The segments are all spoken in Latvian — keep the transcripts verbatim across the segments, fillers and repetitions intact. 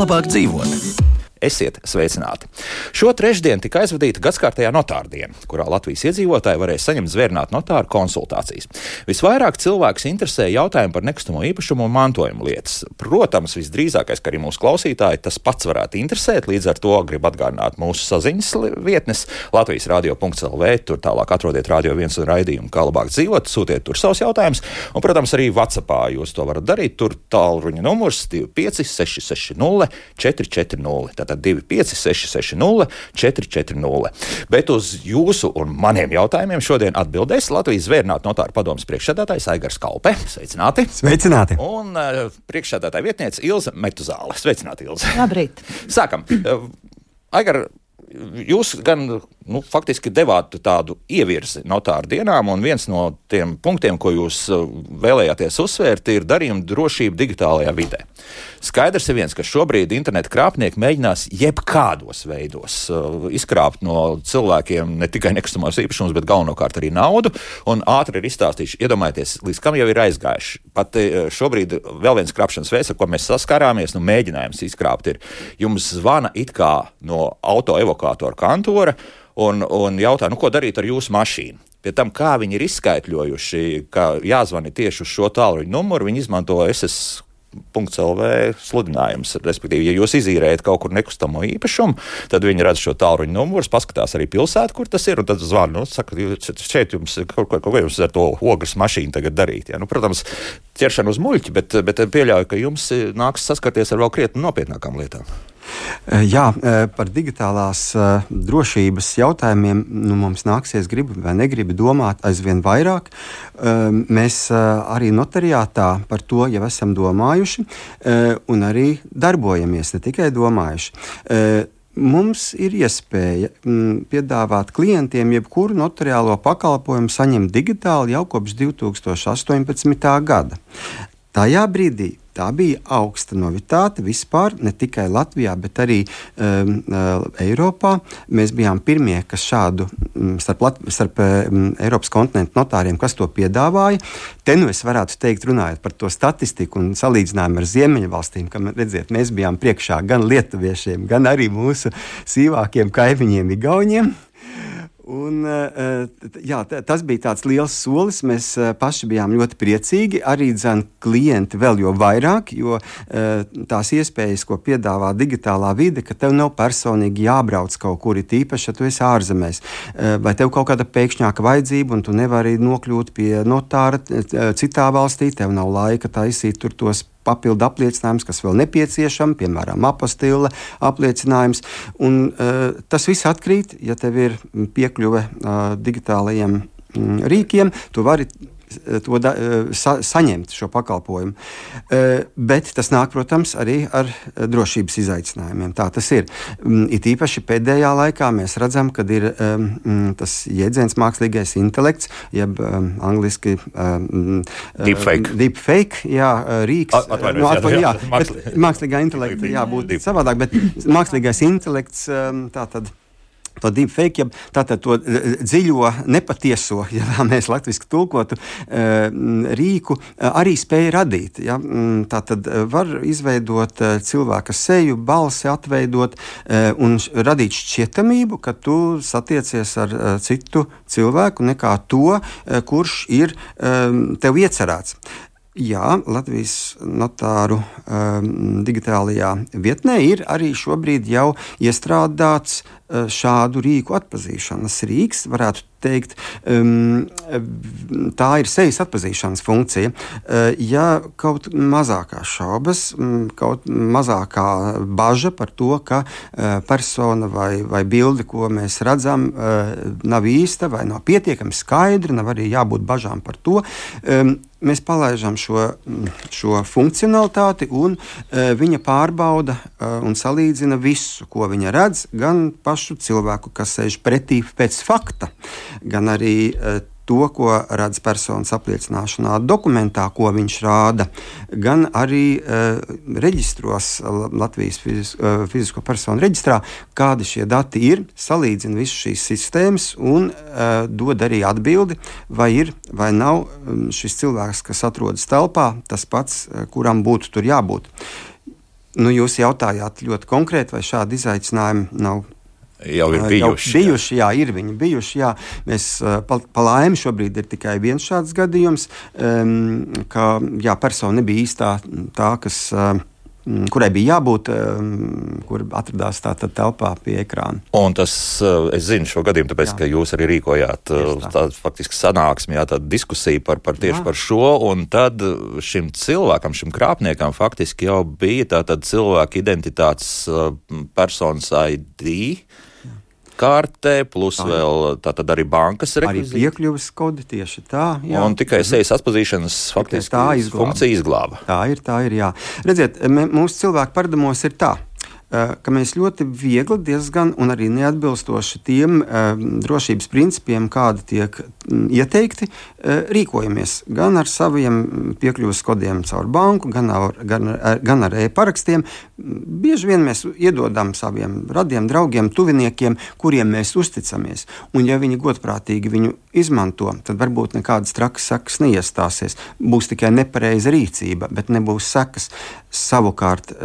Labāk dzīvot. Esiet sveicināti! Šo trešdienu tika aizvadīta gadskārtējā notāra diena, kurā Latvijas iedzīvotāji varēs saņemt zvērnātu notāru konsultācijas. Visvairāk cilvēks interesē jautājumi par nekustamo īpašumu un mantojumu lietas. Protams, visdrīzākais, ka arī mūsu klausītāji tas pats varētu interesēt, līdz ar to grib atgādināt mūsu saziņas vietnes Latvijas radio punkts el vē, tur tālāk atrodiet Radio viens un raidījumu Kā labāk dzīvot, sūtiet tur savus jautājumus, un, protams, arī WhatsAppā jūs to varat darīt, tur tālruņa numurs divi pieci seši seši nulle četri četri nulle. divi pieci seši seši nulle četri četri nulle. Bet uz jūsu un maniem jautājumiem šodien atbildēs Latvijas zvērnātu notāru padomes priekšsēdētājs Aigars Kalpe. Sveicināti! Sveicināti! Un uh, priekšsēdētāja vietniece Ilze Metuzāle. Sveicināti, Ilze! Labrīt! Sākam! Uh, Aigar, jūs gan nu, faktiski devāt tādu ievirzi notāru dienām, un viens no tiem punktiem, ko jūs vēlējāties uzsvērt, ir darījuma drošība digitālajā vidē. Skaidrs ir viens, ka šobrīd interneta krāpnieki mēģinās jebkādos veidos uh, izkrāpt no cilvēkiem ne tikai nekustamos īpašumus, bet galvenokārt arī naudu, un ātri ir izstāstījuši, iedomājieties, līdz kam jau ir aizgājuši. Pat uh, šobrīd vēl viens krāpšanas veids, ar ko mēs saskarāmies, nu mēģinājums izkrāpt ir, jums zvana it kā no auto evokātora kantora, un, un jautā, nu ko darīt ar jūsu mašīnu. Pie tam, kā viņi ir izskaitļojuši, ka jāzvani tieši uz šo tālruņa numuru, viņi izmanto es es punkts el vē sludinājums. Respektīvi, ja jūs izīrējat kaut kur nekustamo īpašumu, tad viņi redz šo tālruņa numuru, paskatās arī pilsētu, kur tas ir, un tad zvana, nu, saka, šeit jums, kaut ko, ko jums ar to ogles mašīnu tagad darīt. Ja? Nu, protams, ķeršana uz muļķi, bet, bet pieļauju, ka jums nāks saskarties ar vēl krietni nopietnākām lietām. Jā, par digitālās drošības jautājumiem nu, mums nāksies gribi vai negribi domāt aizvien vairāk. Mēs arī notariātā par to jau esam domājuši un arī darbojamies, ne tikai domājuši. Mums ir iespēja piedāvāt klientiem jebkuru notariālo pakalpojumu saņemt digitāli jau kopš divi tūkstoši astoņpadsmitā gada. Tajā brīdī tā bija augsta novitāte vispār, ne tikai Latvijā, bet arī um, uh, Eiropā. Mēs bijām pirmie, kas šādu um, starp, Lat- starp um, Eiropas kontinentu notāriem, kas to piedāvāja. Te nu es varētu teikt, runājot par to statistiku un salīdzinājumu ar Ziemeļvalstīm, ka, redziet, mēs bijām priekšā gan lietuviešiem, gan arī mūsu sīvākiem kaimiņiem Igauņiem. Un, jā, tas bija tāds liels solis. Mēs paši bijām ļoti priecīgi. Arī dzan klienti vēl jo vairāk, jo tās iespējas, ko piedāvā digitālā vide, ka tev nav personīgi jābrauc kaut kur, it īpaši, ja tu esi ārzemēs. Vai tev kaut kāda pēkšņāka vajadzība, un tu nevari nokļūt pie notāra citā valstī, tev nav laika taisīt tur tos papildu apliecinājums, kas vēl nepieciešami, piemēram, apostila apliecinājums. Un, uh, tas viss atkrīt, ja tev ir piekļuve uh, digitālajiem mm, rīkiem, tu vari to da, sa, saņemt šo pakalpojumu. Uh, bet tas nāk, protams, arī ar drošības izaicinājumiem. Tā tas ir. Um, it īpaši pēdējā laikā mēs redzam, kad ir um, tas jēdziens mākslīgais intelekts, jeb um, angliski um, deepfake. Deepfake, jā, rīks. Atvainojos, no, atvain, jā, jā, jā, bet mākslīgā intelekta jābūt savādāk, bet mākslīgais intelekts um, tā tad to deepfake, tātad to dziļo, nepatieso, ja tā mēs latviski tulkotu, rīku arī spēja radīt. Ja? Tātad var izveidot cilvēka seju, balsi atveidot un radīt šķietamību, ka tu satiecies ar citu cilvēku nekā to, kurš ir tev iecerēts. Jā, Latvijas notāru um, digitālajā vietnē ir arī šobrīd jau iestrādāts uh, šādu rīku atpazīšanas rīks, varētu teikt, um, tā ir sejas atpazīšanas funkcija. Uh, ja kaut mazākās šaubas, um, kaut mazākā baža par to, ka uh, persona vai, vai bildi, ko mēs redzam, uh, nav īsta vai nav pietiekami skaidra, nav arī jābūt bažām par to, um, mēs palaidām šo, šo funkcionalitāti, un uh, viņa pārbauda uh, un salīdzina visu, ko viņa redz, gan pašu cilvēku, kas sēž pretī pēc fakta, gan arī uh, to, ko redz personas apliecināšanā dokumentā, ko viņš rāda, gan arī uh, reģistros Latvijas fizis, uh, fizisko personu reģistrā, kādi šie dati ir, salīdzina visas šīs sistēmas un uh, dod arī atbildi, vai ir vai nav um, šis cilvēks, kas atrodas telpā, tas pats, uh, kuram būtu tur jābūt. Nu, jūs jautājāt ļoti konkrēti, vai šādi izaicinājumi nav jau ir bijuši. Jau bijuši jā. jā, ir viņi bijuši. Jā. Mēs pa, pa laimi šobrīd ir tikai viens šāds gadījums, um, ka jā, persona nebija īstā tā, kas, um, kurai bija jābūt, um, kur atradās tātad telpā pie ekrāna. Un tas, es zinu šo gadījumu, tāpēc, jā. Ka jūs arī rīkojāt tā. tādu faktiski sanāksmi, jā, tādu diskusiju par, par tieši jā. Par šo, un tad šim cilvēkam, šim krāpniekam faktiski jau bija tātad cilvēka identitātes personas I D kārtē, plus tā, vēl tātad arī bankas rekvizīti. Arī piekļuves kodi tieši tā. Jā. Un tikai sejas atpazīšanas faktiski tā izglāba. Funkcija izglāba. Tā ir, tā ir, jā. Redziet, mūsu cilvēku paradumos ir tā, ka mēs ļoti viegli diezgan un arī neatbilstoši tiem uh, drošības principiem, kādi tiek um, ieteikti, uh, rīkojamies gan ar saviem piekļuves kodiem caur banku, gan ar, gan ar, gan ar e-parakstiem. Bieži vien mēs iedodam saviem radiem, draugiem, tuviniekiem, kuriem mēs uzticamies. Un ja viņi godprātīgi viņu izmanto, tad varbūt nekādas trakas sekas neiestāsies. Būs tikai nepareiza rīcība, bet nebūs sekas. Savukārt,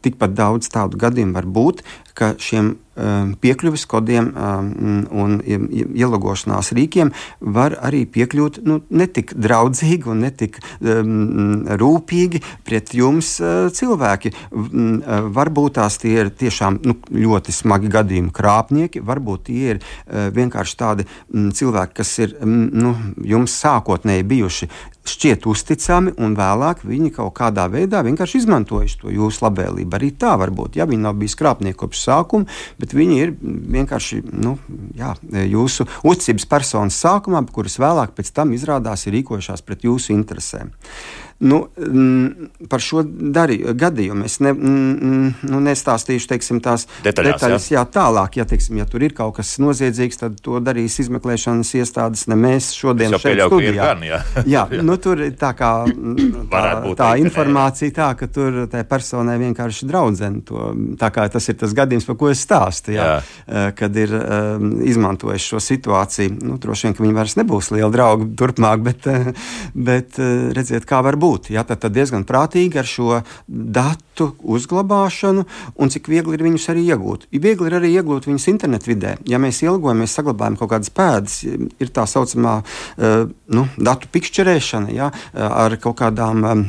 tikpat daudz tādu gadījumu var būt, ka šiem um, piekļuves kodiem um, un ielogošanās rīkiem var arī piekļūt nu, netik draudzīgi un netik um, rūpīgi pret jums uh, cilvēki. Um, uh, varbūt tās tie ir tiešām nu, ļoti smagi gadījumi krāpnieki, varbūt tie ir uh, vienkārši tādi um, cilvēki, kas ir um, nu, jums sākotnēji bijuši šķiet uzticami, un vēlāk viņi kaut kādā veidā vienkārši izmantojuši to jūsu labvēlību. Arī tā var būt. Ja viņi nav bijis krāpnieki kopš sākuma, bet viņi ir vienkārši nu, jā, jūsu uzticības personas sākumā, kuras vēlāk pēc tam izrādās ir rīkojušās pret jūsu interesēm. Nu, par šo darī, gadījumu es ne, nu, nestāstīšu teiksim, tās detaļās, detaļas jā. Jā, tālāk. Ja, teiksim, ja tur ir kaut kas noziedzīgs, tad to darīs izmeklēšanas iestādes, ne mēs šodien šeit studijā. Gan, jā. jā, nu, tur tā kā tā, tā informācija tā, ka tur tai personai vienkārši draudzene to, tā kā tas ir tas gadījums, par ko es stāstu, jā, jā. Kad ir um, izmantojuši šo situāciju. Nu, droši vien, ka viņi vairs nebūs lieli draugi turpmāk, bet, bet redziet, kā var būt. Jā, tad, tad diezgan prātīgi ar šo datu uzglabāšanu un cik viegli ir viņus arī iegūt. Viegli ir arī iegūt viņus internetu vidē. Ja mēs ielgojamies, saglabājam kaut kādas pēdas, ir tā saucamā uh, nu, datu pikšķerēšana, jā, ar kaut kādām um,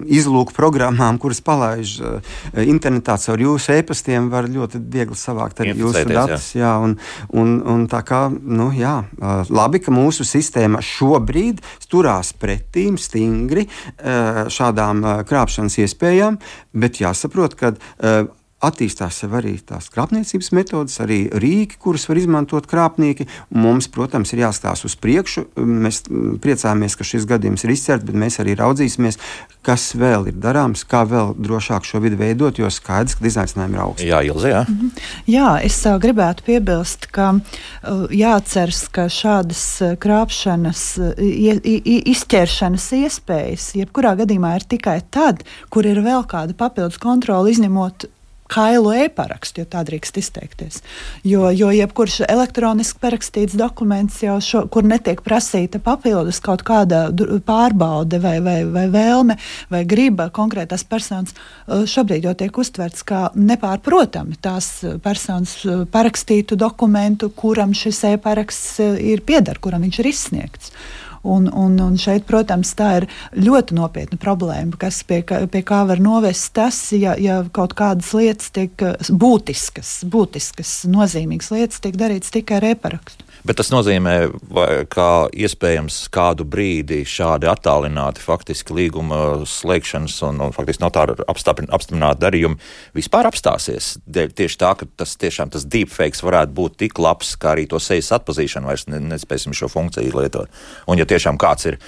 izlūku programmām, kuras palaiž uh, internetā caur jūsu e-pastiem, var ļoti viegli savākt arī jūsu datus. Jā. Jā, un, un, un tā kā, nu jā, uh, labi, ka mūsu sistēma šobrīd turās pretīm stingri šādām krāpšanas iespējām, bet jāsaprot, ka uh, attīstās sev arī tās krāpniecības metodas, arī rīki, kurus var izmantot krāpnieki. Mums, protams, ir jāstās uz priekšu. Mēs priecājamies, ka šis gadījums ir izcerts, bet mēs arī raudzīsimies, kas vēl ir darāms, kā vēl drošāk šo vidi veidot, jo skaidrs, ka izaicinājumi ir augsti. Jā, Ilze, jā. Mm-hmm. Jā, es uh, gribētu piebilst, ka uh, jāatceras, ka šādas uh, krāpšanas, uh, i, i, izķeršanas iespējas, jebkurā gadījumā ir tikai tad, kur ir vēl kāda papildus kontrola, izņemot kailu e-parakstu, jo tā drīkst izteikties. Jo, jo jebkurš elektroniski parakstīts dokuments, jau šo, kur netiek prasīta papildus kaut kāda pārbaude vai, vai, vai vēlme vai griba konkrētās personas, šobrīd jau tiek uztverts kā nepārprotami tās personas parakstītu dokumentu, kuram šis e-paraksts ir pieder, kuram viņš ir izsniegts. Un, un, un šeit, protams, tā ir ļoti nopietna problēma, kas pie, pie kā var novest tas, ja, ja kaut kādas lietas tiek būtiskas, būtiskas, nozīmīgas lietas tiek darītas tikai ar e-parakstu. Bet tas nozīmē, vai, ka iespējams kādu brīdi šādi attālināti faktiski līguma slēgšanas un, un faktiski notāru apstiprināti darījumi vispār apstāsies. Tieši tā, ka tas tiešām tas deepfakes varētu būt tik labs, kā arī to sejas atpazīšanu vairs ne, nespēsim šo funkciju lietot. Un ja tiešām kāds ir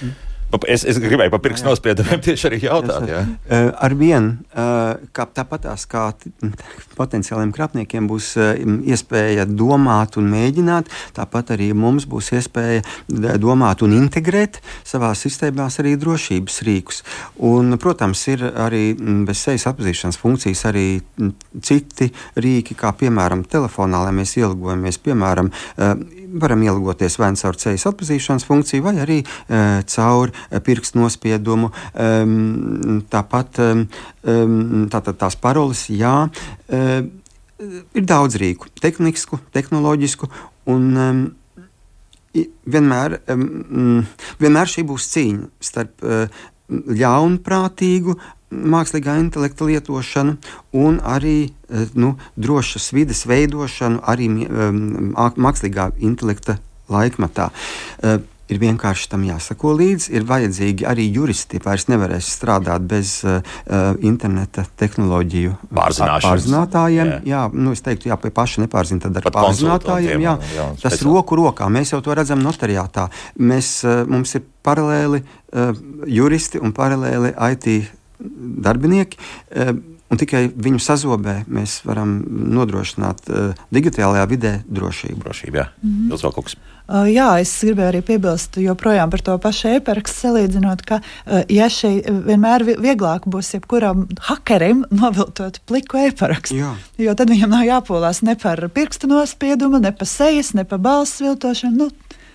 Es, es gribēju par pirkstu nospiedumiem tieši arī jautāt. Jā. Uh, ar vienu, uh, kā tāpatās kā t- potenciāliem krāpniekiem būs uh, iespēja domāt un mēģināt, tāpat arī mums būs iespēja domāt un integrēt savā sistēmās arī drošības rīkus. Un, protams, ir arī bez sejas atpazīšanas funkcijas arī citi rīki, kā piemēram telefonā, lai mēs ielūgojamies, piemēram, uh, varam ielūgoties vai caur sejas atpazīšanas funkciju, vai arī uh, caur uh, pirkstu nospiedumu. Um, tāpat um, tātad tās paroles, jā, uh, ir daudz rīku, tehnisku, tehnoloģisku, un um, vienmēr, um, vienmēr šī būs cīņa starp uh, ļaunprātīgu mākslīgā intelekta lietošanu un arī nu, drošas vides veidošanu arī um, mākslīgā intelekta laikmatā. Uh, ir vienkārši tam jāsako līdzi, ir vajadzīgi arī juristi, vairs nevarēs strādāt bez uh, interneta tehnoloģiju pārzinātājiem. Jā, jā nu, es teiktu, jā, pie paša nepārzina, tad ar pārzinātājiem. Jā, jā, tas roku rokā, mēs jau to redzam notariātā. Mēs, uh, mums ir paralēli uh, juristi un paralēli I T darbinieki, un tikai viņu sazobē mēs varam nodrošināt digitālajā vidē drošību. Drošību, jā. Mm-hmm. Jūs vēl kaut kas? Uh, jā, es gribēju arī piebilst joprojām par to pašu e-parakstu, salīdzinot, ka uh, ja šī vienmēr vieglāk būs jebkuram hakerim noviltot pliku e-parakstu, jā. Jo tad viņam nav jāpolās ne par pirkstu nospiedumu, ne par sejas, ne par balss viltošanu. Nu,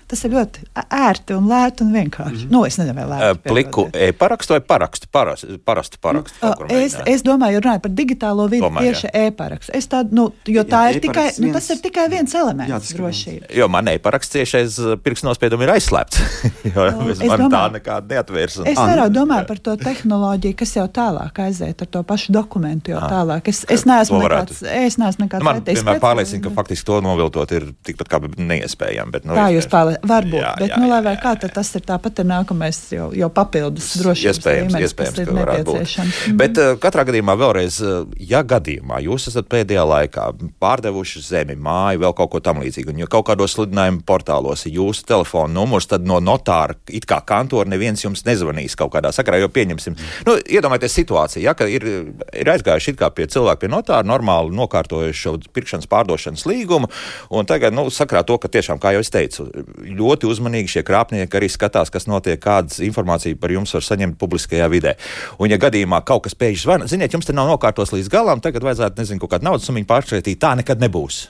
tas ir ļoti ērti un lēti un vienkārši. Mm-hmm. Nu, es nezinu, vai lēti. Pliku e-parakstu vai parakstu? Parastu, parastu parakstu. Uh, es, es domāju, runāju par digitālo vidi Domāju, tieši jā. e-parakstu. Es tādu, nu, jo tā jā, ir tikai, viens, nu, tas ir tikai viens elements jā, drošība. Jo man e-paraksts tieši aiz pirkstu nospiedumu ir aizslēpts. jo uh, man domāju, tā nekāda neatvērs. Un... Es vairāk domāju par to tehnoloģiju, kas jau tālāk aiziet ar to pašu dokumentu jau tālāk. Es, es neesmu nekāds, es neesmu nekāds nu, man vienmēr pārliecina, ka faktiski to noviltot ir tikpat kā neiespējami. Bet, nu, tā jūs pārliecina. Varbūt, jā, bet jā, nu, lai vai kā, tad tas ir tāpat ir nākamais jau, jau papildus drošības iespējams, līmenis, iespējams, kas ir nepieciešams. Mm. Bet uh, katrā gadījumā vēlreiz, uh, ja gadījumā jūs esat pēdējā laikā pārdevuši zemi, māju, vēl kaut ko tam līdzīgu, un ja kaut kādos sludinājumu portālos ir jūsu telefona numurs, tad no notāra, it kā kantora, neviens jums nezvanīs kaut kādā sakarā, jo pieņemsim. Nu, iedomājieties situāciju, ja, ka ir, ir aizgājuši it kā pie cilvēku pie notāra, normāli nokārtojuši šo pirkšanas pārdošanas līgumu, un tagad, nu, sakarā to, ka tiešām, kā jau es teicu, ļoti uzmanīgi šie krāpnieki arī skatās, kas notiek, kādas informāciju par jums var saņemt publiskajā vidē. Un ja gadījumā kaut kas pēkšņi zvana, ziniet, jums te nav nokārtos līdz galam, tagad vajadzētu, nezinu, kaut kādu naudas summiņu pāršķietīt, tā nekad nebūs.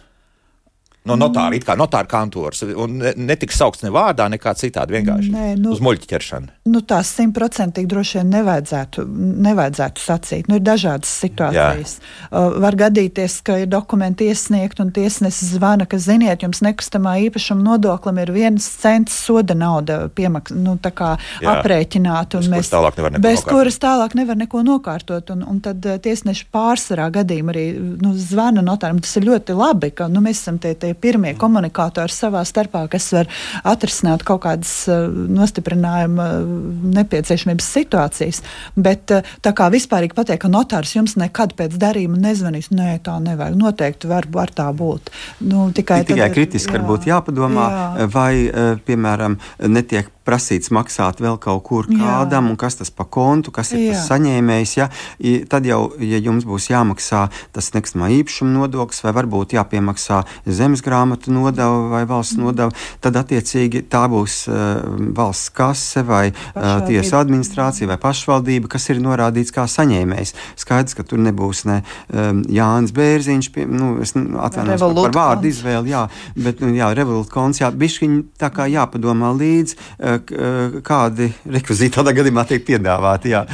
No notāra, it kā notāra kantors, un netiks saukts ne vārdā, nekā citādi vienkārši Nē, nu, uz muļķi ķeršanu. Nu, tās simtprocentīgi droši vien nevajadzētu, nevajadzētu sacīt. Nu, ir dažādas situācijas. Uh, var gadīties, ka ir dokumenti iesniegt un tiesnesis zvana, ka, ziniet, jums nekustamā īpašuma nodoklim ir viens cents soda nauda piemaks, nu, tā kā Jā. aprēķināt. Un bez, mēs, kuras tālāk bez kuras tālāk nevar neko nokārtot. Un, un tad uh, tiesneši pārsvarā gadījumā arī nu, zvana notāram. Tas ir ļoti labi, ka nu, mēs esam tie, tie pirmie komunikātori savā starpā, kas var atrisināt kaut kādas uh, nostiprinājuma uh, nepieciešamības situācijas. Bet uh, tā kā vispārīgi pateikt, ka notārs jums nekad pēc darījuma nezvanīs, nē, tā nevajag. Noteikti var, var tā būt. Nu, tikai tikai kritiski varbūt jāpadomā, jā. vai, uh, piemēram, netiek prasīts maksāt vēl kaut kur kādam, jā. un kas tas pa kontu, kas ir jā. tas saņēmējs. Ja? I, tad jau, ja jums būs jāmaksā tas nekustamā īpašuma nodoklis, vai varbūt jāpiemaksā zemes grāmatu nodeva vai valsts mm. nodeva, tad attiecīgi tā būs uh, valsts kase vai uh, tiesa administrācija vai pašvaldība, kas ir norādīts kā saņēmējs. Skaidrs, ka tur nebūs ne um, Jānis Bērziņš, pie, nu, es atvainojos par, par vārdu izvēli, jā, bet, nu, jā, Revolut konts, jā, bišķiņ tā kā jāpadomā līdz, uh, kādi rekvizīti tādā gadījumā tiek piedāvāti. Jā.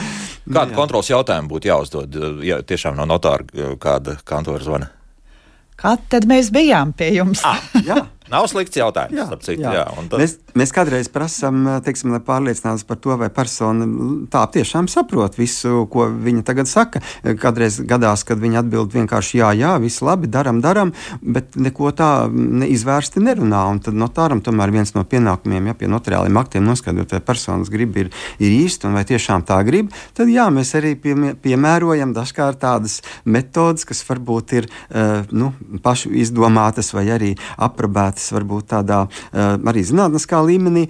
Kādu jā. kontrols jautājumu būtu jāuzdod, ja tiešām no notāra kāda kantora zvana? Kad tad mēs bijām pie jums? Ah, jā. Nav slikts jautājums. Jā, citu, jā. Jā, tad... mēs, mēs kādreiz prasām, teiksim, lai pārliecinātos par to, vai persona tā tiešām saprot visu, ko viņa tagad saka. Kādreiz gadās, kad viņa atbild vienkārši jā, jā, viss labi, daram, daram, bet neko tā izvērsti nerunā. Un tad notāram tomēr viens no pienākumiem, ja pie notariāliem aktiem noskaidrot, vai personas grib ir, ir īsti un vai tiešām tā grib, tad jā, mēs arī pie, piemērojam dažkārt tādas metodas, kas varbūt ir uh, nu, pašu izdomātas vai arī aprobētas piekrātis varbūt tādā arī zinātniskā līmenī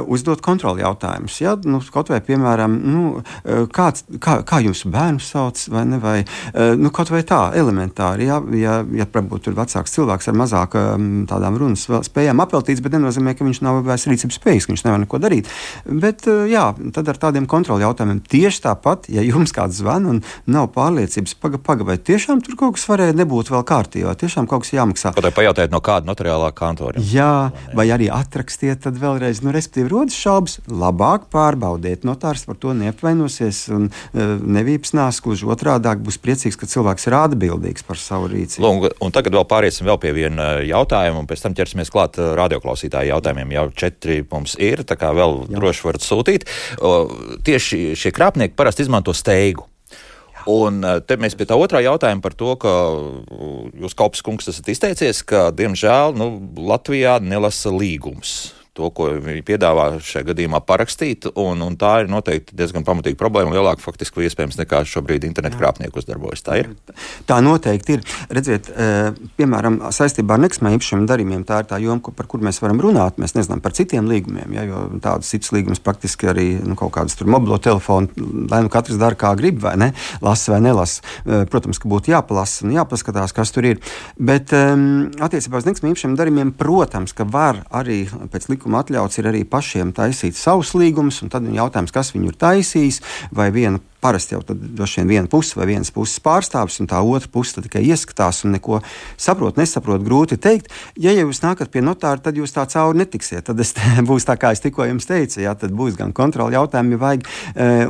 uzdot kontroli jautājumus. Ja? Nu, kaut vai, piemēram, nu, kāds, kā, kā jūsu bērnu sauc, vai ne, vai nu, kaut vai tā elementāri, ja, ja, ja varbūt tur vecāks cilvēks ar mazāk tādām runas spējām apveltīts, bet nenozīmē, ka viņš nav vairs rīcības spējīgs, ka viņš nevar neko darīt. Bet, jā, tad ar tādiem kontroli jautājumiem tieši tāpat, ja jums kāds zvan un nav pārliecības, paga, paga, vai tiešām tur kaut kas varēja nebūt vēl kārtībā, tiešām kaut kas jāmaksā. Kaut vai pajautājiet no kāda notariālā kantora. Jā, vai arī atrakstiet tad vēlreiz, nu, respektīvi rodas šaubas, labāk pārbaudiet, notārs par to neapvainosies un uh, nevīpsnās, gluži otrādāk būs priecīgs, ka cilvēks ir atbildīgs par savu rīcību. Lūk, un tagad vēl pāriesim vēl pie viena jautājuma, un pēc tam ķersimies klāt radioklausītāju jautājumiem. Jau četri mums ir, tā kā vēl Jā. droši varat sūtīt. O, tieši šie krāpnieki parasti izmanto steigu. Un te mēs pie tā otrā jautājuma par to, ka jūs, Kaupis kungs, esat izteicies, ka, diemžēl, nu, Latvijā nelasa līgums. To, ko viņi piedāvā šajā gadījumā parakstīt, un, un tā ir noteikti diezgan pamatīga problēma, lielāka faktiski iespējams nekā šobrīd internetu krāpnieku uzdarbojas. Tā ir? Tā noteikti ir. Redziet, piemēram, saistībā ar nekustamā īpašuma darījumiem, tā ir tā joma, par kur mēs varam runāt. Mēs nezinām par citiem līgumiem, ja, jo tādas citas līgumas praktiski arī nu, kaut kādas tur mobilo telefonu, lai nu katrs dara kā grib, vai ne, lasa vai nelasa. Protams, ka būtu jāpalasa un jāpaskatās, kas tur ir. Bet attiecībā uz nekustamā īpašuma darījumiem, protams, ka var arī pēc likuma atļauts ir arī pašiem taisīt savus līgumus, un tad ir jautājums, kas viņu ir taisījis, vai viena parasti jau tad droši vien viena puse vai vienas puses pārstāvis, un tā otra puse tad tikai ieskatās un neko saprot, nesaprot, grūti teikt. Ja jūs nākat pie notāra, tad jūs tā cauri netiksiet. Tad es, būs tā, kā es tikko jums teicu, jā, tad būs gan kontroli jautājumi, ja vajag,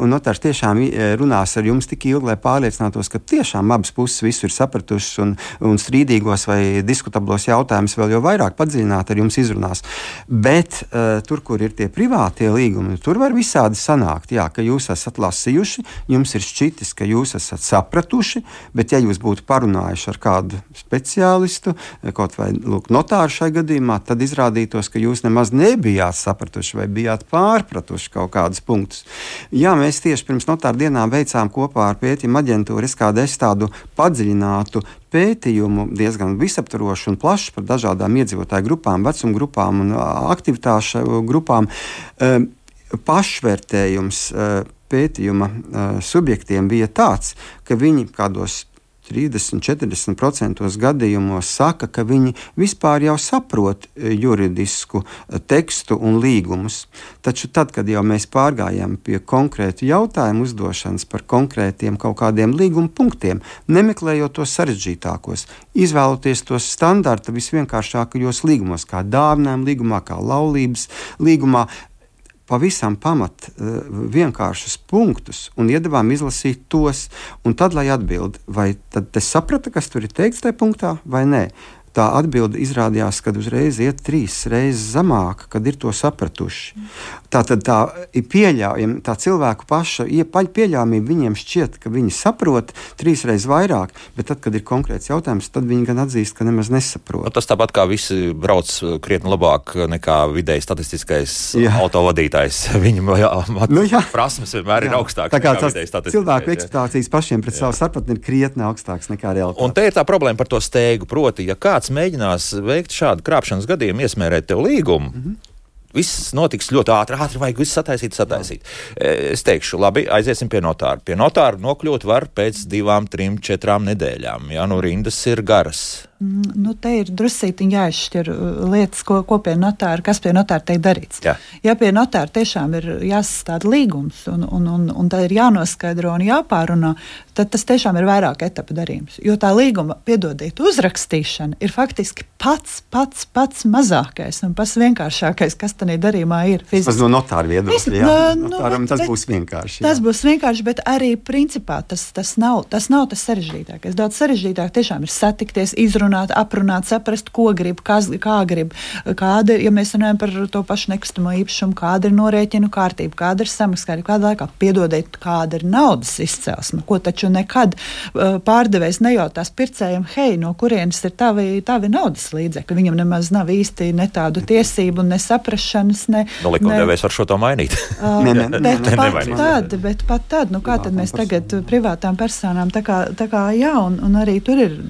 un notārs tiešām runās ar jums tik ilgi, lai pārliecinātos, ka tiešām abas puses visu ir sapratušas un, un strīdīgos vai diskutablos jautājumus vēl jau vairāk padziļināt ar jums izrunās. Bet uh, tur, kur ir tie privātie līgumi, tur var visādi sanākt, jā, ka jūs esat lasījuši, jums ir šķitis, ka jūs esat sapratuši, bet ja jūs būtu parunājuši ar kādu speciālistu, kaut vai lūk, notāru šai gadījumā, tad izrādītos, ka jūs nemaz nebijāt sapratuši vai bijāt pārpratuši kaut kādus punktus. Jā, mēs tieši pirms notāru dienām veicām kopā ar pētījumu aģentūru es kādu es tādu padziļinātu pētījumu, diezgan visaptvarošu un plašu par dažādām iedzīvotāju grupām, vecuma grupām un aktivitāšu grupām. Pašvērtējums pētījuma uh, subjektiem bija tāds, ka viņi kādos trīsdesmit līdz četrdesmit procenti gadījumos saka, ka viņi vispār jau saprot juridisku tekstu un līgumus. Taču tad, kad jau mēs pārgājām pie konkrētu jautājumu uzdošanas par konkrētiem kaut kādiem līguma punktiem, nemeklējot tos sarežģītākos, izvēloties tos standarta visvienkāršākajos līgumos, kā dāvinājuma līgumā, kā laulības līgumā, pavisam pamat vienkāršus punktus un iedavām izlasīt tos, un tad, lai atbild, vai tad te saprata, kas tur ir teikts tajā punktā, vai nē. Tā atbilde izrādījās, kad uzreiz iet trīs reizes zemāk, kad ir to sapratuši. Tā tad tā ir pieļaujama, tā cilvēku paša pieļaujamība, viņiem šķiet, ka viņi saprot trīs reizes vairāk, bet tad, kad ir konkrēts jautājums, tad viņi gan atzīst, ka nemaz nesaprot. No, tas tāpat kā visi brauc krietni labāk nekā vidēji statistiskais jā. autovadītājs. Viņam jā, mat, nu, jā. prasmes vienmēr jā. ir augstākas nekā vidēji statistiskais. Cilvēku ekspektācijas pašiem pret jā. savu sapratni ir krietni augstākas nekā realitāte. Un te ir tā problēma par to steigu, proti, ja kāds mēģinās veikt šādu krāpšanas gadījumu, iesmērēt tev līgumu, mm-hmm. viss notiks ļoti ātri, ātri vajag visu sataisīt, sataisīt. Jā. Es teikšu, labi, aiziesim pie notāra. Pie notāra nokļūt var pēc divām, trim, četrām nedēļām. Jā, nu rindas ir garas. Nu, te ir drusītiņi jāizšķir lietas, ko, ko pie notāra, kas pie notāra tiek darīts. Jā. Ja pie notāra tiešām ir jāsastāda līgums un, un, un, un tā ir jānoskaidro un jāpārunā, tad tas tiešām ir vairāk etapu darījums. Jo tā līguma, piedodiet, uzrakstīšana ir faktiski pats, pats, pats mazākais un pats vienkāršākais, kas tādā darījumā ir. Fiziski. Tas no notāra viedokļa, jā. Nu, Notāram tas bet, būs vienkārši. Jā. Tas būs vienkārši, bet arī principā tas, tas, nav, tas nav tas sarežģītākais. Daudz sarežģītāk tiešām ir satikties, izrunāt, aprunāt, saprast, ko grib, kas, kā grib, kāda ir, ja mēs runājam par to pašu nekustamo īpašumu, kāda ir norēķinu kārtība, kāda ir samakskārība, kāda laikā, piedodiet, kāda ir naudas izcelsme, ko taču nekad uh, pārdevējs nejautās pircējiem, hei, no kurienes ir tavi, tavi naudas līdzekļi. Viņam nemaz nav īsti ne tādu tiesību, ne saprašanas, ne... Nu, likumdevējs var šo to mainīt. Uh, ne, ne, bet, ne, pat ne, tad, bet pat tad, nu kā tad mēs tagad privātām personām, tā kā, tā kā jā, un, un arī tur ir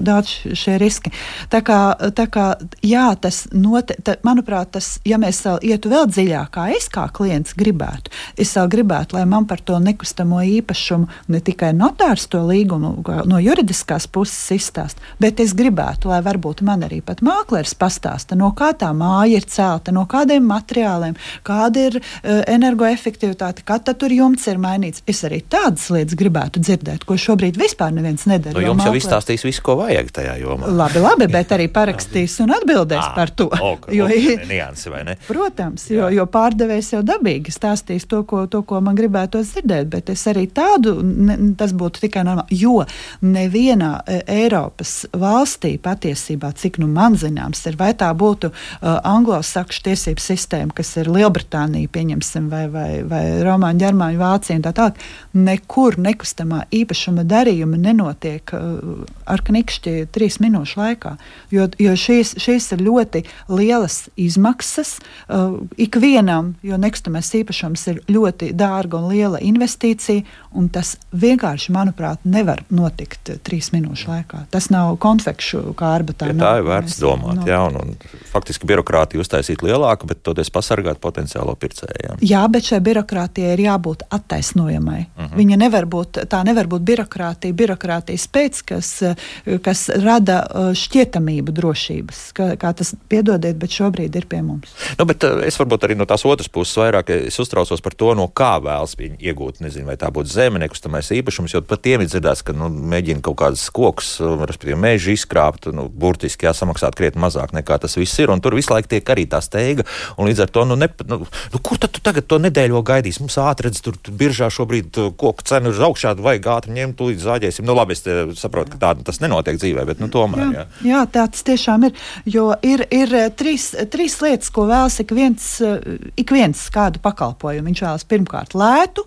daudz šie riski. Tā kā, tā kā jā, tas note, tā, manuprāt, tas, ja mēs vēl ietu vēl dziļāk, kā es kā klients gribētu, es vēl gribētu, lai man par to nekustamo īpašumu ne tikai notārs to līgumu no juridiskās puses izstāst, bet es gribētu, lai varbūt man arī pat mākleris pastāsta, no kā tā māja ir celta, no kādiem materiāliem, kāda ir uh, energoefektivitāte, kā tad tur jumts ir mainīts. Es arī tādas lietas gribētu dzirdēt, ko šobrīd vispār neviens nedara. Nu, jums jau izstāstīs visu, ko vajag tajā jomā. Labi, labi, bet arī parakstīs un atbildēs à, par to. Okay, jo, okay, niansi, vai ne? Protams, jo, jo pārdevējs jau dabīgi stāstīs to ko, to, ko man gribētu dzirdēt, bet es arī tādu, ne, tas būtu tikai normāli, jo nevienā e, Eiropas valstī patiesībā, cik nu man zināms, ir, vai tā būtu uh, anglosakšu tiesību sistēma, kas ir Lielbritānija, pieņemsim, vai, vai, vai Romāņu, Ģermāņu, Vācija un tā tālāk, nekur nekustamā īpašuma darījuma nenotiek uh, ar knikšķi trīs minūšu laikā, jo, jo šīs, šīs ir ļoti lielas izmaksas uh, ikvienam, jo nekustamais īpašums ir ļoti dārga un liela investīcija, un tas vienkārši, manuprāt, nevar notikt trīs minūšu laikā. Tas nav konfekšu kārba. Tā, ja nav, tā ir vērts domāt, no... jā, un, un faktiski birokrātiju uztaisīt lielāku, bet toties pasargāt potenciālo pircējiem. Jā, bet šai birokrātijai ir jābūt attaisnojamai. Uh-huh. Viņa nevar būt, tā nevar būt birokrātija, birokrātijas pēc, kas, kas rada šķietamību drošības, kā, kā tas, piedodiet, bet šobrīd ir pie mums. Nu, bet es varbūt arī no tās otras puses vairāk es uztraucos par to, no kā vēlas viņi iegūt, nezinu, vai tā būtu zeme, nekustamais īpašums, jo pat tiem ir dzirdēts, ka nu, mēģina kaut kādas kokus, respektīvi mežu izkrāpt, nu, burtiski jāsamaksāt krietni mazāk nekā tas viss ir, un tur visu laiku tiek arī tā steiga, un līdz ar to, nu, ne, nu, nu kur tad tu tagad to nedēļo gaidīs? Mums ātredz, tur, tur biržā šobrīd koku cenu ir augšā, vajag ātri ņemt, tūlīt zāģēsim. Nu, labi, es saprotu, ka tā tas nenotiek dzīvē, bet, nu, tomēr, jā. Jā, jā tā tas tiešām ir, jo ir, ir trīs, trīs lietas, ko vēlas ik viens, ik viens kādu pakalpojumu. Viņš vēlas pirmkārt lētu,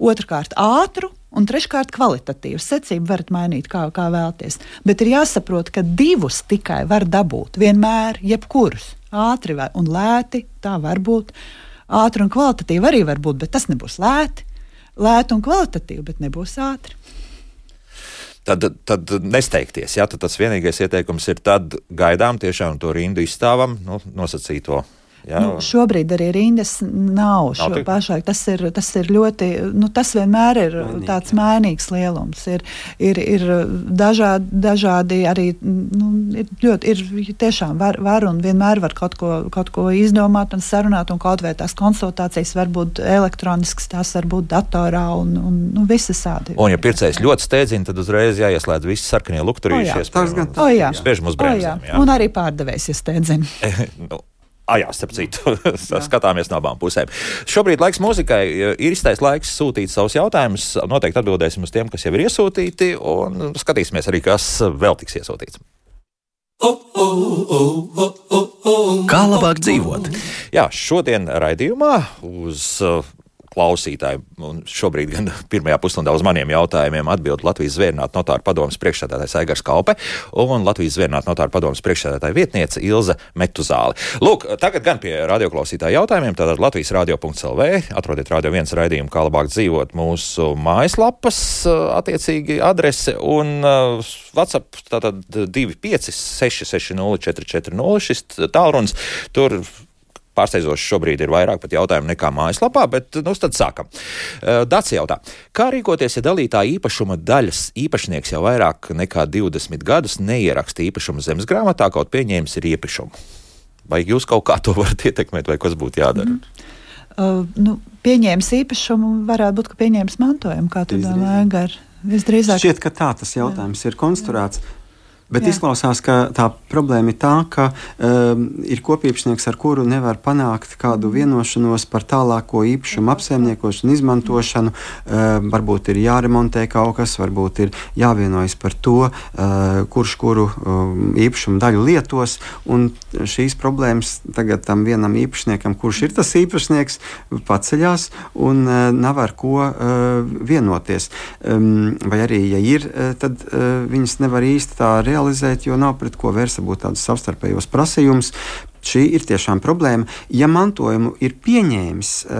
otrkārt ātru, un treškārt kvalitatīvu. Secību varat mainīt, kā, kā vēlties. Bet ir jāsaprot, ka divus tikai var dabūt. Vienmēr, jebkurus. Ātri un lēti, tā var būt. Ātri un kvalitatīvi arī var būt, bet tas nebūs lēti. Lēti un kvalitatīvi, bet nebūs ātri. Tad, tad nesteigties, jā, tad tas vienīgais ieteikums ir tad gaidām tiešām to rindu izstāvam, nu, nosacīto. Jā. Nu, šobrīd arī rindas nav. nav pašlaik, tas, ir, tas ir ļoti, nu, tas vienmēr ir Mainīgi, tāds jā. mainīgs lielums. Ir, ir, ir dažādi, dažādi arī, nu, ir ļoti, ir tiešām var, var un vienmēr var kaut ko, kaut ko izdomāt un sarunāt, un kaut vai tās konsultācijas var būt elektroniskas, tās var būt datorā un, un nu, visas sādi. Un ja pircējs ļoti steidzina, tad uzreiz jāieslēdz visi sarkanie lukturīšies. O jā, spiežam uz bremzēm. Jā. Un arī pārdevējs, ja steidzina. nu. Ah, jā, starp citu, skatāmies no abām pusēm. Šobrīd laiks mūzikai, ir iztais laiks sūtīt savus jautājumus, noteikti atbildēsim uz tiem, kas jau ir iesūtīti, un skatīsimies arī, kas vēl tiks iesūtīts. Kā labāk dzīvot? Jā, šodien raidījumā uz klausītāji, un šobrīd gan pirmajā pusstundā uz maniem jautājumiem atbild Latvijas Zvērinātu notāru padomes priekšsēdētājs Aigars Kaupe un Latvijas Zvērinātu notāru padomes priekšsēdētāja vietniece Ilze Metuzāle. Lūk, tagad gan pie radioklausītāju jautājumiem, tātad Latvijas radio punkts el vē, atrodiet Radio viens raidījumu, kā labāk dzīvot mūsu mājaslapas attiecīgi adrese un uh, WhatsApp, tātad divi pieci seši seši nulle četri četri nulle, šis tālrunis, tur pārsteidzoši šobrīd ir vairāk pat jautājumu nekā mājaslapā, bet nu tad sākam. Dats jautā, kā rīkoties, ja dalītā īpašuma daļas īpašnieks jau vairāk nekā divdesmit gadus neieraksta īpašumu zemes grāmatā, kaut pieņēmis ir ieprišumu? Vai jūs kaut kā to varat ietekmēt, vai kas būtu jādara? Mm. Uh, nu, pieņēmis īpašumu, varētu būt, ka pieņēmis mantojumu, kā tu domāji, Gar? Visdrīzāk. Šķiet, ka tā tas jautājums jā. ir konstruēts. Bet Jā. izklausās, ka tā problēma ir tā, ka um, ir kopīpašnieks, ar kuru nevar panākt kādu vienošanos par tālāko īpašumu apsaimniekošanu, izmantošanu. Um, varbūt ir jāremontē kaut kas, varbūt ir jāvienojas par to, uh, kurš kuru um, īpašumu daļu lietos. Un šīs problēmas tagad tam vienam īpašniekam, kurš ir tas īpašnieks, paceļās un uh, nav ar ko uh, vienoties. Um, vai arī, ja ir, tad uh, viņas nevar īsti tā realizēt, jo nav pret ko vērst būt tādus savstarpējos prasījumus. šī ir tiešām problēma. Ja mantojumu ir pieņēmis uh,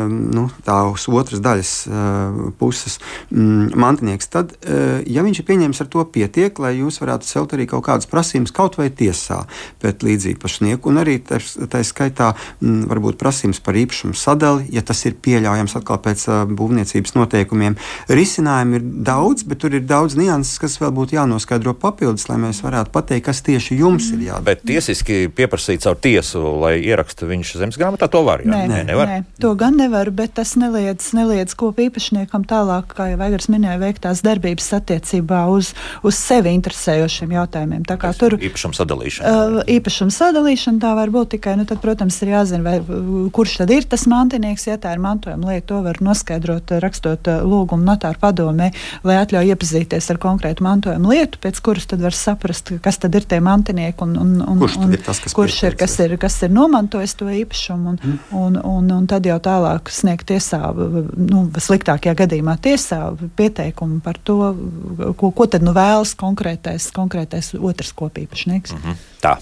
um, nu, tā uz otras daļas uh, puses um, mantinieks, tad, uh, ja viņš ir pieņēmis, ar to pietiek, lai jūs varētu celt arī kaut kādas prasības kaut vai tiesā pret līdzīpašnieku, un arī tā, tā skaitā m, varbūt prasības par īpašumu sadali, ja tas ir pieļaujams atkal pēc uh, būvniecības noteikumiem. Risinājumi ir daudz, bet tur ir daudz nianses, kas vēl būtu jānoskaidro papildus, lai mēs varētu pateikt, kas tieši jums ir jādara. Bet tiesiski pieprasīt caur tiesu, lai ieraksta viņš zemes grāmatā, to var, jā? Nē, nē, nevar. Nē, to gan nevar, bet tas neliedz, neliedz kopu īpašniekam tālāk, kā jau Aigars minēja, veiktās darbības attiecībā uz, uz sevi interesējošiem jautājumiem. Tā kā tur īpašuma sadalīšana. Uh, īpašuma sadalīšana tā var būt tikai, nu tad, protams, ir jāzina, vai, kurš tad ir tas mantinieks, ja tā ir mantojuma lieta, to var noskaidrot, rakstot uh, lūgumu notāru padomē, lai atļauj iepazīties ar konkrētu mantojuma lietu, pēc kuras tad var saprast, kas tad ir tie mantinieki un, un, un, kurš, un ir tas, kas, kurš ir, kas ir, kas ir nomantojis to īpašumu un, mm. un, un, un tad jau tālāk sniegt tiesā, nu, sliktākajā gadījumā tiesā pieteikumu par to, ko, ko tad nu vēlas konkrētais, konkrētais otrs kopīpašnieks. Mm-hmm. Tā.